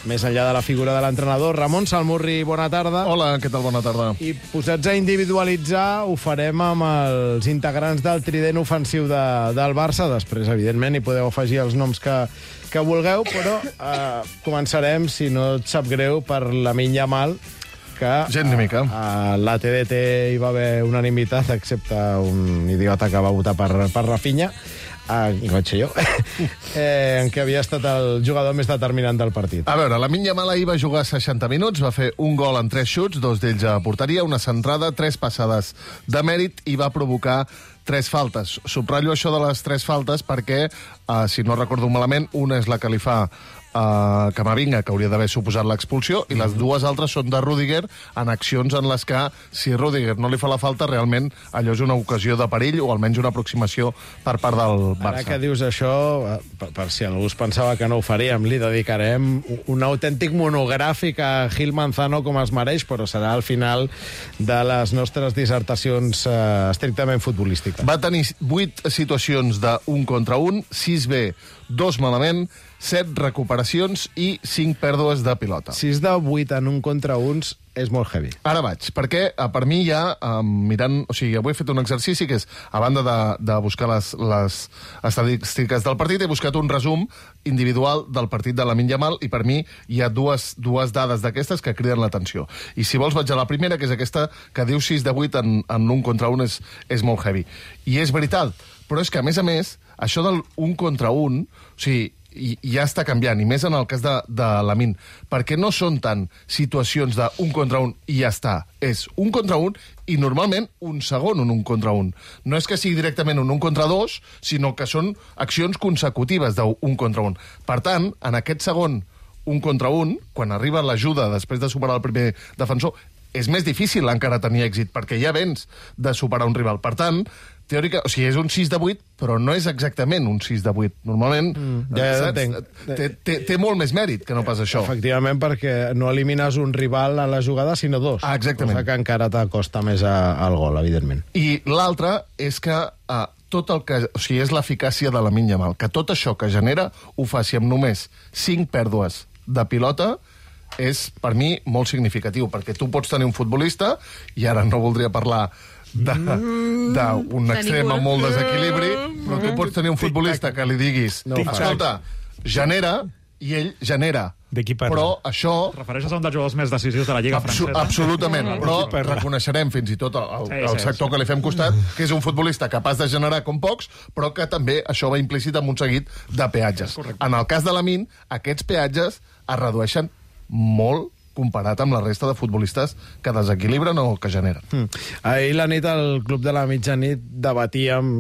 més enllà de la figura de l'entrenador. Ramon Salmurri, bona tarda. Hola, què tal? Bona tarda. I posats a individualitzar, ho farem amb els integrants del trident ofensiu del Barça. Després, evidentment, hi podeu afegir els noms que vulgueu, però començarem, si no et sap greu, per Lamine Yamal, que gent ni mica. A la TDT hi va haver unanimitat, excepte un idiota que va votar per Rafinha, que vaig ser jo, en què havia estat el jugador més determinant del partit. A veure, Lamine Yamal ahir va jugar 60 minuts, va fer un gol en 3 xuts, 2 d'ells a porteria, una centrada, 3 passades de mèrit i va provocar 3 faltes. Subratllo això de les 3 faltes perquè, si no recordo malament, una és la que li fa Camavinga, que hauria d'haver suposat l'expulsió, i les dues altres són de Rüdiger en accions en les que, si Rüdiger no li fa la falta, realment allò és una ocasió de perill o almenys una aproximació per part del Barça. Ara que dius això, per si algú es pensava que no ho faríem, li dedicarem un autèntic monogràfic a Gil Manzano com es mereix, però serà al final de les nostres dissertacions estrictament futbolístiques. Va tenir 8 situacions de 1 contra 1, 6 bé, 2 malament, 7 recuperacions i 5 pèrdues de pilota. 6 de 8 en 1 contra 1 és molt heavy. Ara vaig, perquè per mi ja, mirant... O sigui, avui he fet un exercici que és, a banda de buscar les estadístiques del partit, he buscat un resum individual del partit de Lamine Yamal i per mi hi ha dues dades d'aquestes que criden l'atenció. I si vols vaig a la primera, que és aquesta que diu 6 de 8 en 1 contra 1 és molt heavy. I és veritat, però és que, a més, això del 1 contra 1, o sigui, i ja està canviant, i més en el cas de Lamine, perquè no són tant situacions de 1 contra 1 i ja està. És 1 contra 1 i normalment un segon un 1 contra 1. No és que sigui directament un 1 contra 2, sinó que són accions consecutives de 1 contra 1. Per tant, en aquest segon 1 contra 1, quan arriba l'ajuda després de superar el primer defensor, és més difícil encara tenir èxit, perquè ja vens de superar un rival. Per tant, teòrica, o sigui, és un 6 de 8, però no és exactament un 6 de 8. Normalment, té molt més mèrit que no pas això. Efectivament, perquè no elimines un rival a la jugada, sinó 2. Exactament. Cosa que encara t'acosta més al gol, evidentment. I l'altre és que tot el que... O sigui, és l'eficàcia de Lamine Yamal, que tot això que genera ho faci amb només 5 pèrdues de pilota és, per mi, molt significatiu, perquè tu pots tenir un futbolista, i ara no voldria parlar d'un extrem amb molt desequilibri, però tu pots tenir un futbolista que li diguis, escolta, genera, i ell genera. Però això... Et refereixes a un dels jugadors més decisius de la Lliga francesa? Absolutament, però reconeixerem fins i tot el sector que li fem costat, que és un futbolista capaç de generar com pocs, però que també això va implícit amb un seguit de peatges. En el cas de Lamine, aquests peatges es redueixen molt comparat amb la resta de futbolistes que desequilibren o que generen. Ahir la nit al Club de la Mitjanit debatíem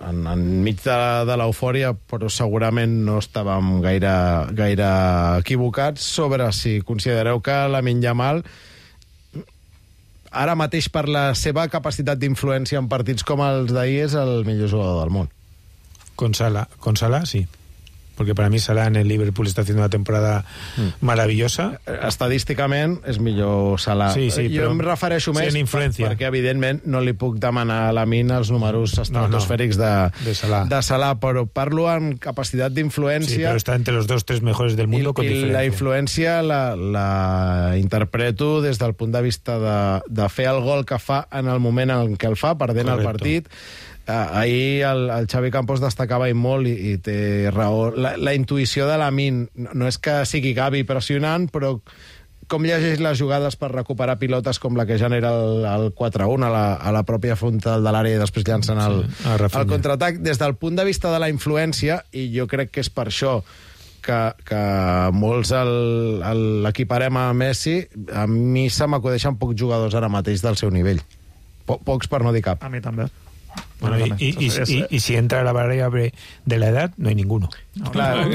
enmig de l'eufòria, però segurament no estàvem gaire equivocats sobre si considereu que Lamine Yamal ara mateix per la seva capacitat d'influència en partits com els d'ahir és el millor jugador del món. Con Salah, sí. Porque para mí Salah en el Liverpool está haciendo una temporada maravillosa. Estadísticament és millor Salah. Sí, jo em refereixo més perquè, evidentment, no li puc demanar a Lamine els números estratosfèrics de Salah, però parlo en capacitat d'influència. Sí, però està entre los 2-3 mejores del mundo con diferència. I la influència la interpreto des del punt de vista de fer el gol que fa en el moment en què el fa, perdent el partit. Ahir el Xavi Campos destacava molt i té raó. La intuïció de Lamine no és que sigui Gavi pressionant, però com llegeix les jugades per recuperar pilotes com la que genera el 4-1 a la pròpia frontal de l'àrea i després llancen el contraatac. Des del punt de vista de la influència, i jo crec que és per això que molts l'equiparem a Messi, a mi se m'acudeixen pocs jugadors ara mateix del seu nivell. Pocs per no dir cap. A mi també. Bueno, y si entra la variable de la edad, no hay ninguno. Claro,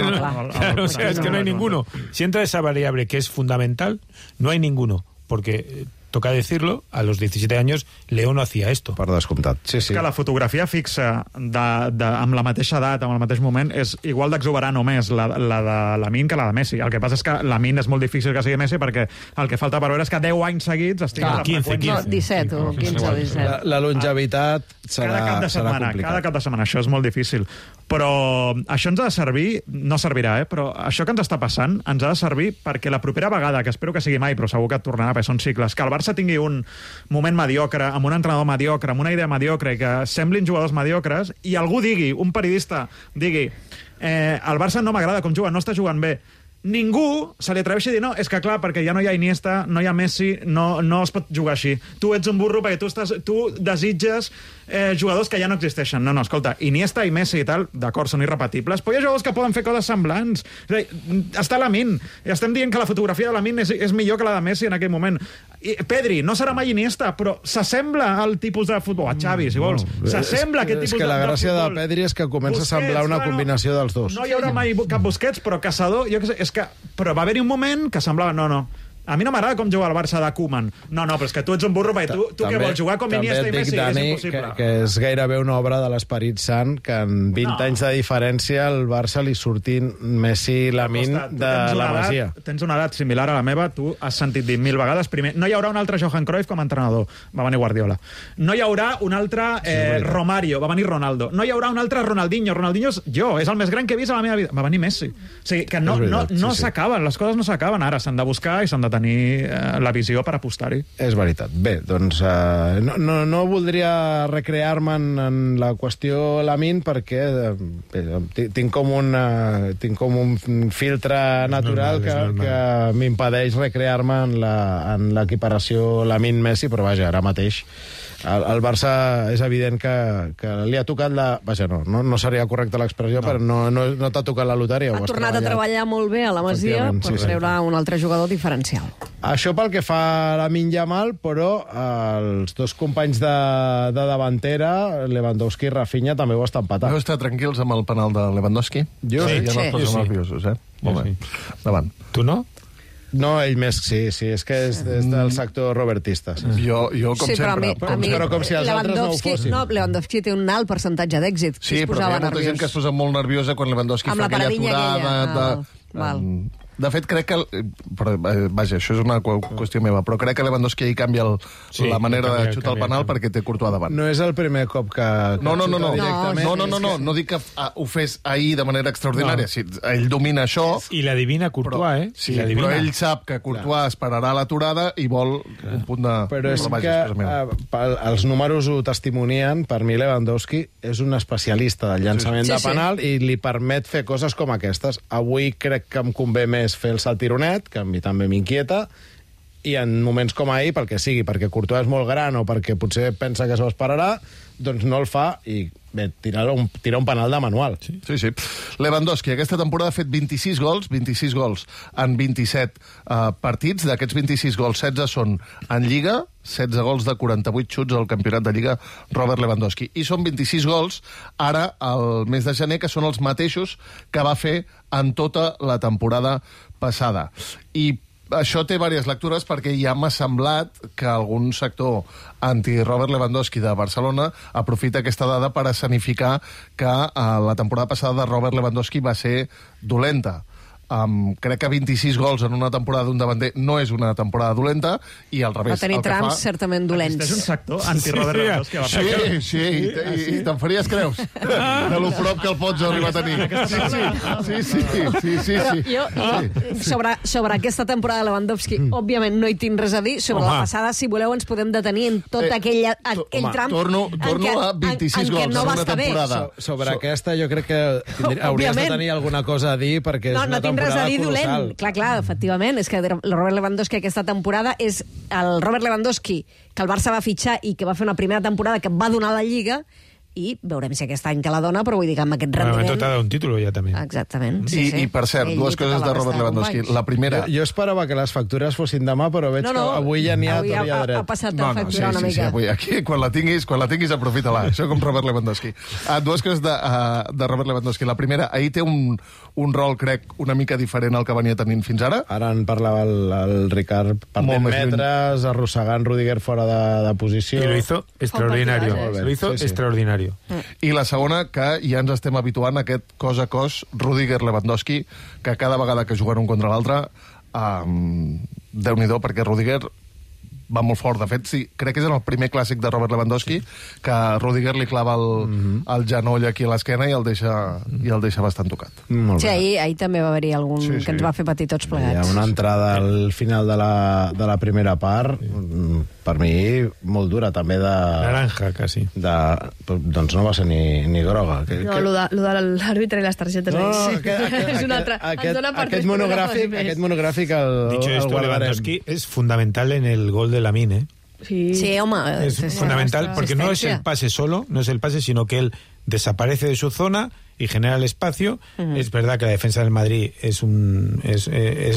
o sea, es que no hay ninguno. Si entra esa variable que es fundamental, no hay ninguno. Porque toca decirlo, a los 17 años Leo no hacía esto. Per descomptat. Sí, sí. Que la fotografia fixa amb la mateixa edat, amb el mateix moment, és igual d'exuberant o més la de Lamine que la de Messi. El que passa és que Lamine és molt difícil que sigui Messi perquè el que falta per veure és que 10 anys seguits estigui a la freqüència. 17 o 15 o 17. La longevitat serà complicat. Cada cap de setmana, això és molt difícil. Però això ens ha de servir, no servirà, però això que ens està passant ens ha de servir perquè la propera vegada, que espero que sigui mai, però segur que tornarà, perquè són cicles, que el Barça tingui un moment mediocre, amb un entrenador mediocre, amb una idea mediocre, i que semblin jugadors mediocres, i algú digui, un periodista digui, el Barça no m'agrada com juga, no està jugant bé. Ningú se li atreveixi a dir no, és que clar, perquè ja no hi ha Iniesta, no hi ha Messi, no es pot jugar així. Tu ets un burro perquè tu desitges jugadors que ja no existeixen. No, escolta, Iniesta i Messi i tal, d'acord, són irrepetibles, però hi ha jugadors que poden fer coses semblants. És a dir, està Lamine, i estem dient que la fotografia de Lamine és millor que la de Messi en aquell moment. I Pedri, no serà mai Iniesta, però s'assembla al tipus de futbol. A Xavi, si vols. S'assembla a aquest tipus de futbol. És que la gràcia de Pedri és que comença a semblar una combinació dels dos. No hi haurà mai cap Busquets, però Caçador, jo què sé, però va haver-hi un moment que semblava... No. A mi no m'agrada com juga el Barça de Koeman. No, però és que tu ets un burro, perquè tu què vols jugar com Iniesta i Messi? Dani, és impossible. Que és gairebé una obra de l'Esperit Sant, que en 20 anys de diferència al Barça li surtin Messi i Lamine de la Masia. Tens una edat similar a la meva, tu has sentit dir 1000 vegades. Primer, no hi haurà un altre Johan Cruyff com a entrenador, va venir Guardiola. No hi haurà un altre Romario, va venir Ronaldo. No hi haurà un altre Ronaldinho. Ronaldinho és el més gran que he vist a la meva vida. Va venir Messi. O sigui, que no s'acaben, les coses no s'acaben ara. S'han de buscar i s'han de tenir la visió per apostar-hi. És veritat. Bé, doncs no voldria recrear-me en la qüestió Lamine perquè tinc com un filtre natural que m'impedeix recrear-me en l'equiparació Lamine-Messi, però vaja, ara mateix el Barça és evident que li ha tocat no seria correcta l'expressió, però no t'ha tocat la loteria. Ha tornat a treballar molt bé a la Masia per treure un altre jugador diferencial. Això pel que fa a Lamine Yamal, però els dos companys de davantera, Lewandowski i Rafinha, també ho estan patant. Heu estat tranquils amb el penal de Lewandowski? Jo sí. Ja no es posen nerviosos, Molt bé. Endavant. Tu no? No, ell més, sí, és que és del sector robertista. Jo com sempre. Però com si els altres no ho fossin. No, Lewandowski té un alt percentatge d'èxit. Sí, però hi ha molta gent que es posa molt nerviosa quan Lewandowski fa aquella aturada... De fet, crec que... Vaja, això és una qüestió meva, però crec que Lewandowski ahir canvia la manera de xutar el penal perquè té Courtois davant. No és el primer cop que No dic que ho fes ahir de manera extraordinària. Ell domina això... I l'adivina Courtois, Sí, però ell sap que Courtois esperarà l'aturada i vol un punt de... Però és que els números ho testimonien. Per mi Lewandowski és un especialista del llançament de penal i li permet fer coses com aquestes. Avui crec que em convé més fer el saltironet, que a mi també m'inquieta, i en moments com ahir, pel que sigui, perquè Courtois és molt gran o perquè potser pensa que s'ho esperarà, doncs no el fa i bé, tira un penal de manual. Sí. Lewandowski aquesta temporada ha fet 26 gols en 27 partits. D'aquests 26 gols, 16 són en Lliga, 16 gols de 48 xuts al campionat de Lliga Robert Lewandowski. I són 26 gols ara, al mes de gener, que són els mateixos que va fer en tota la temporada passada. I això té diverses lectures perquè ja m'ha semblat que algun sector anti-Robert Lewandowski de Barcelona aprofita aquesta dada per escenificar que la temporada passada de Robert Lewandowski va ser dolenta. Crec que 26 gols en una temporada d'un davanter no és una temporada dolenta, i al revés. Va tenir trams certament dolents. És un sector anti-Robert Lewandowski. Sí, i te'n faries creus de lo prop que el pots arribar a tenir. Sí. Sobre aquesta temporada de Lewandowski, òbviament no hi tinc res a dir. Sobre la passada, si voleu, ens podem detenir en tot aquell tram torno a 26 gols en una temporada. Sobre aquesta jo crec que hauries de tenir alguna cosa a dir, perquè és una temporada res a dir dolent. Clar, efectivament, és que el Robert Lewandowski aquesta temporada és el Robert Lewandowski que el Barça va fitxar i que va fer una primera temporada que va donar la Lliga, i veurem si aquest any que la dona, però vull dir que amb aquest Bueno, rendiment... t'ha dado un título ja també. Exactament. I per cert, dues coses de Robert Lewandowski. La primera... Jo esperava que les factures fossin demà, però veig que avui ja n'hi ha tot i a dret. Ha passat a facturar una mica. Sí, avui aquí, quan la tinguis, aprofita-la. Això com Robert Lewandowski. Dues coses de Robert Lewandowski. La primera, ahir té un rol, crec, una mica diferent al que venia tenint fins ara. Ara en parlava el Ricard, perdent metres, arrossegant Rudiger fora de posició. I lo hizo extraordinario. Lo hizo extraordinario. I la segona, que ja ens estem habituant a aquest cos a cos Rudiger-Lewandowski, que cada vegada que juguen un contra l'altre, Déu-n'hi-do, perquè Rudiger va molt fort. De fet, sí, crec que és el primer clàssic de Robert Lewandowski, que Rudiger li clava el genoll aquí a l'esquena i el deixa bastant tocat. Sí, ahir també va haver-hi algun que ens va fer patir tots plegats. Hi ha una entrada al final de la primera part, per mi, molt dura, també de... Naranja, quasi. Doncs no va ser ni groga. No, lo de l'àrbitre i les targetes. És una altra... Aquest monogràfic el Lewandowski es fundamental en el gol de Lamine, ¿eh? Sí, home. Es fundamental porque no es el pase solo, sino que él desaparece de su zona y genera el espacio. Es verdad que la defensa del Madrid es un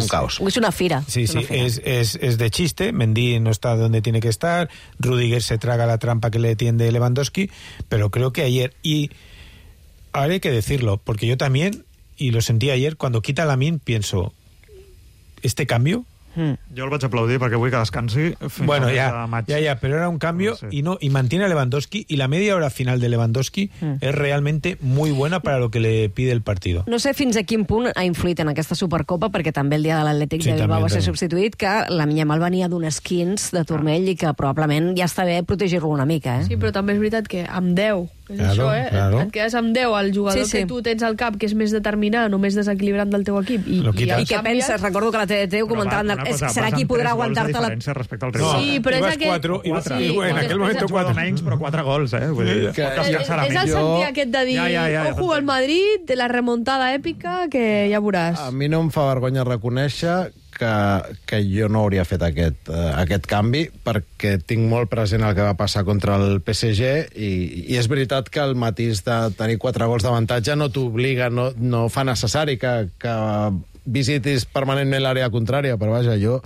caos. Es una fira. Sí, es de chiste. Mendy no está donde tiene que estar. Rudiger se traga la trampa que le tiende Lewandowski. Pero creo que ayer, y ahora hay que decirlo, porque yo también, y lo sentí ayer, cuando quita Lamine, pienso, ¿este cambio? Jo el vaig aplaudir perquè vull que descansi. Bueno, ya, pero era un cambio y mantiene a Lewandowski, y la media hora final de Lewandowski es realmente muy buena para lo que le pide el partido. No sé fins a quin punt ha influït en aquesta Supercopa, perquè també el dia de l'Atlètic de Bilbao va ser substituït, que Lamine Yamal venia d'unes 15 de turmell i que probablement ja està bé protegir-lo una mica. Sí, però també és veritat que amb 10... És això, et quedes amb 10 al jugador que tu tens al cap, que és més determinant o més desequilibrant del teu equip. I què penses? Recordo que la TDT ho comentaven. Serà qui podrà aguantar-te la... Sí, però és aquest... En aquell moment 4 menys, però 4 gols, eh? És el sentir aquest de dir ojo al Madrid, de la remuntada èpica, que ja veuràs. A mi no em fa vergonya reconèixer que jo no hauria fet aquest canvi, perquè tinc molt present el que va passar contra el PSG i és veritat que el matís de tenir 4 gols d'avantatge no t'obliga, no fa necessari que visitis permanentment l'àrea contrària, però vaja, jo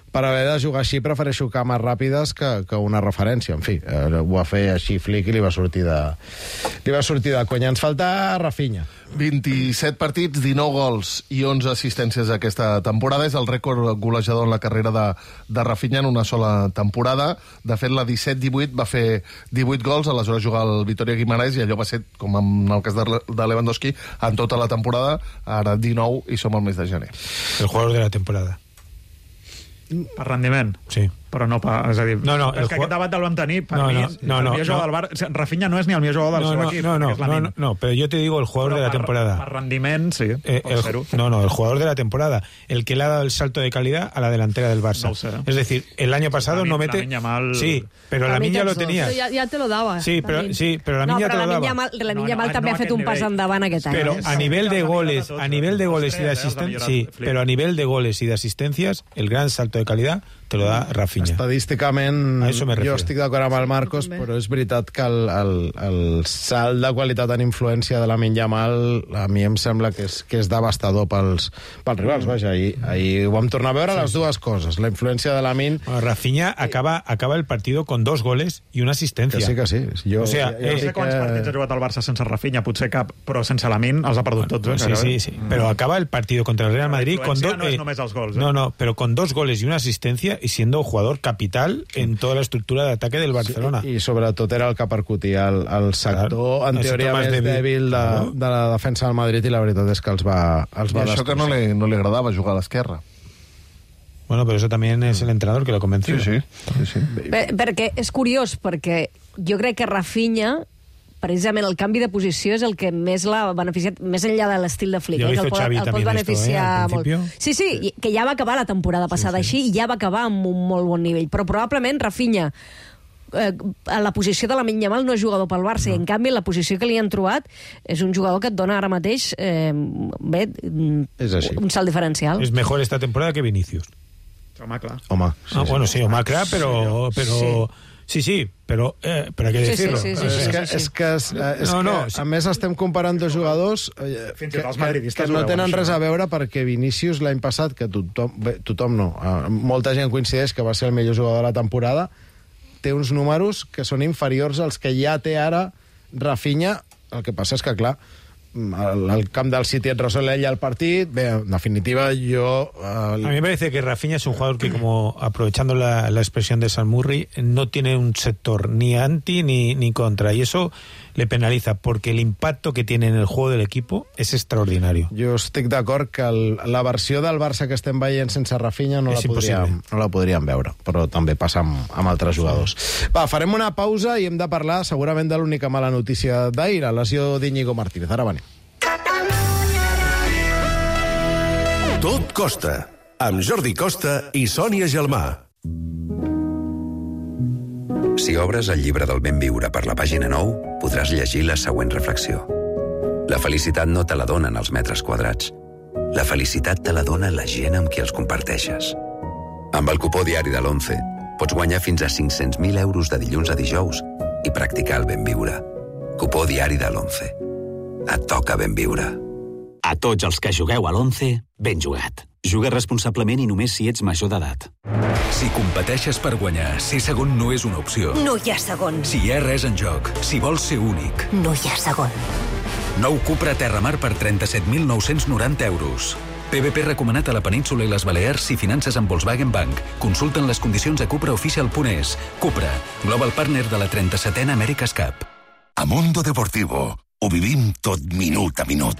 per haver de jugar així prefereixo cames ràpides que una referència. En fi, ho va fer així Flick i li va sortir de conya. Ens falta Rafinha. 27 partits, 19 gols i 11 assistències aquesta temporada. És el rècord golejador en la carrera de Rafinha en una sola temporada. De fet, la 17-18 va fer 18 gols, aleshores jugar al Vitoria Guimarães, i allò va ser, com en el cas de Lewandowski, en tota la temporada. Ara 19 i som al mes de gener. El jugador de la temporada. Per rendiment? Sí. Però no, és a dir, és que aquest debat el vam tenir, per mi, el millor jugador del Barça, Rafinha no és ni el millor jugador del seu equip. No, pero yo te digo el jugador de la temporada. Per rendiment, sí, el jugador de la temporada, el que le ha dado el salto de calidad a la delantera del Barça. No sé. Es decir, el año pasado no mete... Sí, pero Lamine ya lo tenía. Ja te lo daba. Sí, pero Lamine ya te lo daba. Lamine Yamal també ha fet un pas endavant aquest any. Pero a nivel de goles y de asistencias, sí, pero a nivel de goles y de asistencias, el gran salto de calidad te lo da Rafinha. Estadísticament, jo estic d'acord amb el Marcos, però és veritat que el salt de qualitat en influència de Lamine Yamal a mi em sembla que és devastador pels rivals. Vaja, ahir ho vam tornar a veure les dues coses. La influència de Lamine... Rafinha acaba el partido con 2 goles y una asistencia. Que sí. Jo no sé quants partits ha jugat el Barça sense Rafinha, potser cap, però sense Lamine els ha perdut tots. Sí. Pero acaba el partido contra el Real Madrid con 2... No és només els gols. No, pero con 2 goles y una asistencia y siendo jugador capital en toda la estructura de ataque del Barcelona. I sobretot era el que percutia el sector, en teoria més dèbil de la defensa del Madrid, i la veritat és que els va destrossar. Això que no li agradava jugar a l'esquerra. Bueno, pero eso también es el entrenador que lo convenció. Sí. Perquè és curiós, perquè jo crec que Rafinha, precisament el canvi de posició és el que més l'ha beneficiat, més enllà de l'estil de Flick, el pot beneficiar molt. Sí, que ja va acabar la temporada passada així, i ja va acabar amb un molt bon nivell, però probablement Rafinha a la posició de Lamine Yamal no és jugador pel Barça, i en canvi la posició que li han trobat és un jugador que et dona ara mateix un salt diferencial. És mejor esta temporada que Vinicius. Home, clar. Home, sí, clar, però... Sí, pero hay que decirlo. A més estem comparant dos jugadors que no tenen res a veure, perquè Vinícius l'any passat, que tothom no, molta gent coincideix que va ser el millor jugador de la temporada, té uns números que són inferiors als que ja té ara Rafinha. El que passa és que, clar, al camp del City et resol ella el partit. Bé, en definitiva, yo... A mí me parece que Rafinha es un jugador que, como aprovechando la expresión de Sam Murray, no tiene un sector ni anti ni contra, y eso le penaliza, porque el impacto que tiene en el juego del equipo es extraordinario. Jo estic d'acord que la versió del Barça que estem veient sense Rafinha no la podríem veure, però també passa amb altres jugadors. Va, farem una pausa i hem de parlar segurament de l'única mala notícia d'ahir, la lesió d'Íñigo Martínez. Ara venim. Tot costa, amb Jordi Costa i Sònia Gelmà. Si obres el llibre del ben viure per la pàgina 9, podràs llegir la següent reflexió. La felicitat no te la donen els metres quadrats. La felicitat te la dona la gent amb qui els comparteixes. Amb el cupó diari de l'11 pots guanyar fins a 500.000 euros de dilluns a dijous i practicar el ben viure. Cupó diari de l'11. Et toca ben viure. A tots els que jugueu a l'11, ben jugat. Juga responsablement i només si ets major d'edat. Si competeixes per guanyar, ser segon no és una opció. No hi ha segon. Si hi ha res en joc, si vols ser únic. No hi ha segon. Nou Cupra Terramar per 37.990 euros. PVP recomanat a la península i les Balears si finances amb Volkswagen Bank. Consulten les condicions a cupraofficial.es. Cupra, global partner de la 37a America's Cup. A Mundo Deportivo ho vivim tot minut a minut.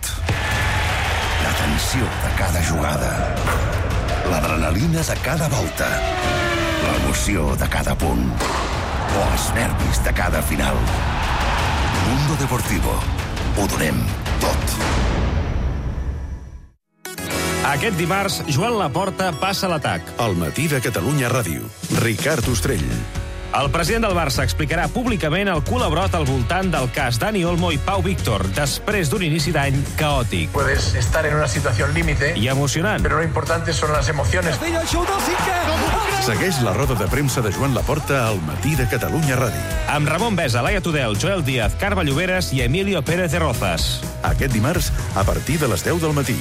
La tensió de cada jugada, l'adrenalina de cada volta, l'emoció de cada punt o els nervis de cada final. Mundo Deportivo. Ho donem tot. Aquest dimarts, Joan Laporta passa a l'atac. Al matí de Catalunya Ràdio. Ricard Ostrell. El president del Barça explicarà públicament el culebrot al voltant del cas Dani Olmo i Pau Víctor, després d'un inici d'any caòtic. Puedes estar en una situación límite i emocionant. Pero lo importante son las emociones. Segueix la roda de premsa de Joan Laporta al matí de Catalunya Ràdio. Amb Ramon Besa, Laia Tudel, Joel Díaz, Carme Lloberes i Emilio Pérez de Rozas. Aquest dimarts, a partir de les 10 del matí.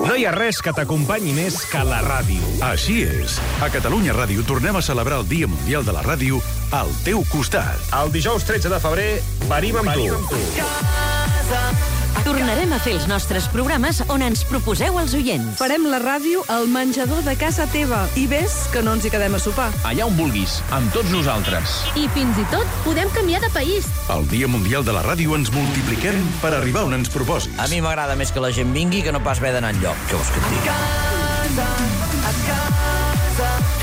No hi ha res que t'acompanyi més que la ràdio. Així és. A Catalunya Ràdio tornem a celebrar el Dia Mundial de la Ràdio al teu costat. El dijous 13 de febrer venim amb tu. Tornarem a fer els nostres programes on ens proposeu els oients. Farem la ràdio al menjador de casa teva. I ves que no ens hi quedem a sopar. Allà on vulguis, amb tots nosaltres. I fins i tot podem canviar de país. El Dia Mundial de la Ràdio ens multipliquem per arribar on ens proposis. A mi m'agrada més que la gent vingui que no pas haver d'anar enlloc. Què vols que et digui?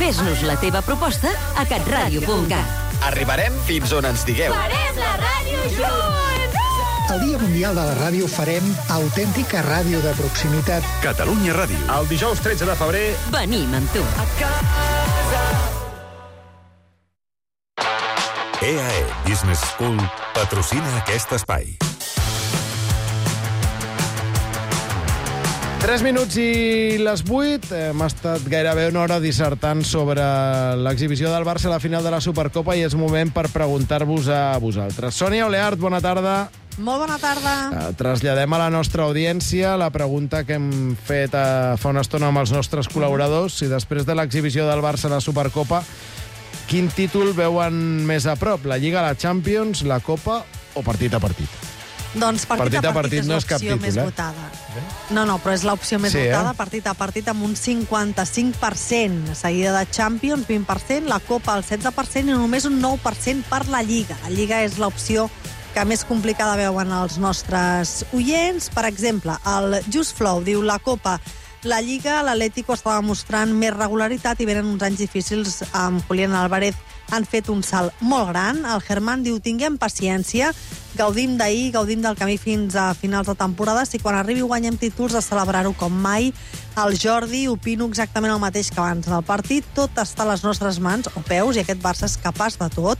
Fes-nos la teva proposta a catradio.cat. Arribarem fins on ens digueu. Farem la ràdio junts! El Dia Mundial de la Ràdio farem autèntica ràdio de proximitat. Catalunya Ràdio. El dijous 13 de febrer venim amb tu. EAE Business School patrocina aquest espai. 3 minuts i les 8. Hem estat gairebé una hora dissertant sobre l'exhibició del Barça a la final de la Supercopa i és moment per preguntar-vos a vosaltres. Sònia Oleart, bona tarda. Molt bona tarda. Traslladem a la nostra audiència la pregunta que hem fet fa una estona amb els nostres col·laboradors. Si després de l'exhibició del Barça a la Supercopa, quin títol veuen més a prop? La Lliga, la Champions, la Copa o partit a partit? Doncs partit a partit és l'opció més votada. No, però és l'opció més votada, partit a partit, amb un 55%. Seguida de Champions, 20%, la Copa, el 16%, i només un 9% per la Lliga. La Lliga és l'opció que més complicada veuen els nostres oients. Per exemple, el Just Flow diu la Copa, la Lliga, l'Atlético estava mostrant més regularitat i venen uns anys difícils amb Julián Álvarez. Han fet un salt molt gran. El Germán diu, tinguem paciència, gaudim d'ahir, gaudim del camí fins a finals de temporada. Si quan arribi guanyem títols, de celebrar-ho com mai. El Jordi, opino exactament el mateix que abans del partit. Tot està a les nostres mans o peus i aquest Barça és capaç de tot.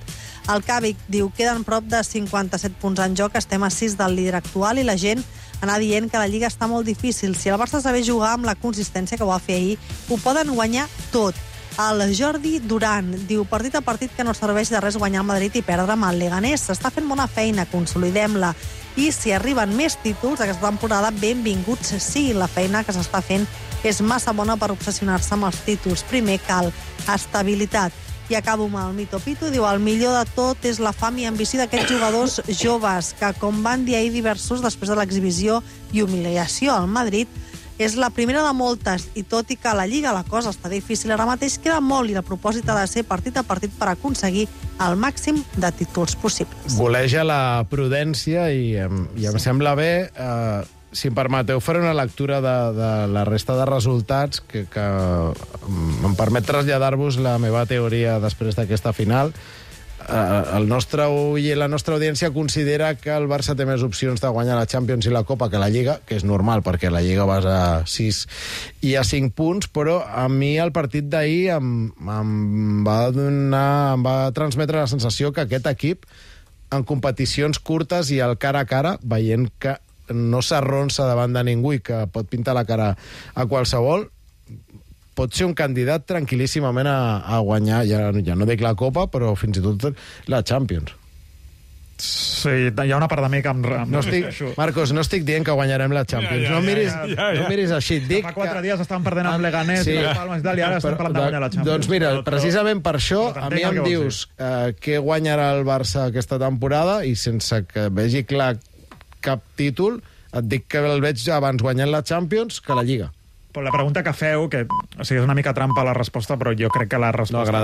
El Càvic diu, queden prop de 57 punts en joc, estem a 6 del líder actual i la gent anar dient que la Lliga està molt difícil. Si el Barça saber jugar amb la consistència que ho va fer ahir, ho poden guanyar tot. El Jordi Duran diu, partit a partit que no serveix de res guanyar el Madrid i perdre amb el Leganés. S'està fent bona feina, consolidem-la. I si arriben més títols aquesta temporada, benvinguts sí. La feina que s'està fent és massa bona per obsessionar-se amb els títols. Primer cal estabilitat. I acabo amb el Mito Pito, diu, el millor de tot és la fam i ambició d'aquests jugadors joves, que com van dir ahir diversos després de l'exhibició i humiliació al Madrid, és la primera de moltes, i tot i que a la Lliga la cosa està difícil ara mateix, queda molt i el propòsit ha de ser partit a partit per aconseguir el màxim de títols possibles. Voleja la prudència i em sembla bé... Si em permeteu, faré una lectura de la resta de resultats que em permet traslladar-vos la meva teoria després d'aquesta final. El nostre ull i la nostra audiència considera que el Barça té més opcions de guanyar la Champions i la Copa que la Lliga, que és normal, perquè la Lliga vas a 6 i a 5 punts, però a mi el partit d'ahir em va transmetre la sensació que aquest equip, en competicions curtes i al cara a cara, veient que no s'arronsa davant de ningú i que pot pintar la cara a qualsevol, pot ser un candidat tranquil·líssimament a guanyar, ja no dic la Copa, però fins i tot la Champions. Sí, hi ha una part de mi que Marcos, no estic dient que guanyarem la Champions. No miris així. Fa 4 dies estaven perdent amb Leganés i Palmas i tal, i ara estem parlant de guanyar la Champions. Doncs mira, precisament per això, a mi em dius què guanyarà el Barça aquesta temporada i sense que vegi clar cap títol, et dic que el veig abans guanyant la Champions que la Lliga. Però la pregunta que feu, que és una mica trampa la resposta, però jo crec que la resposta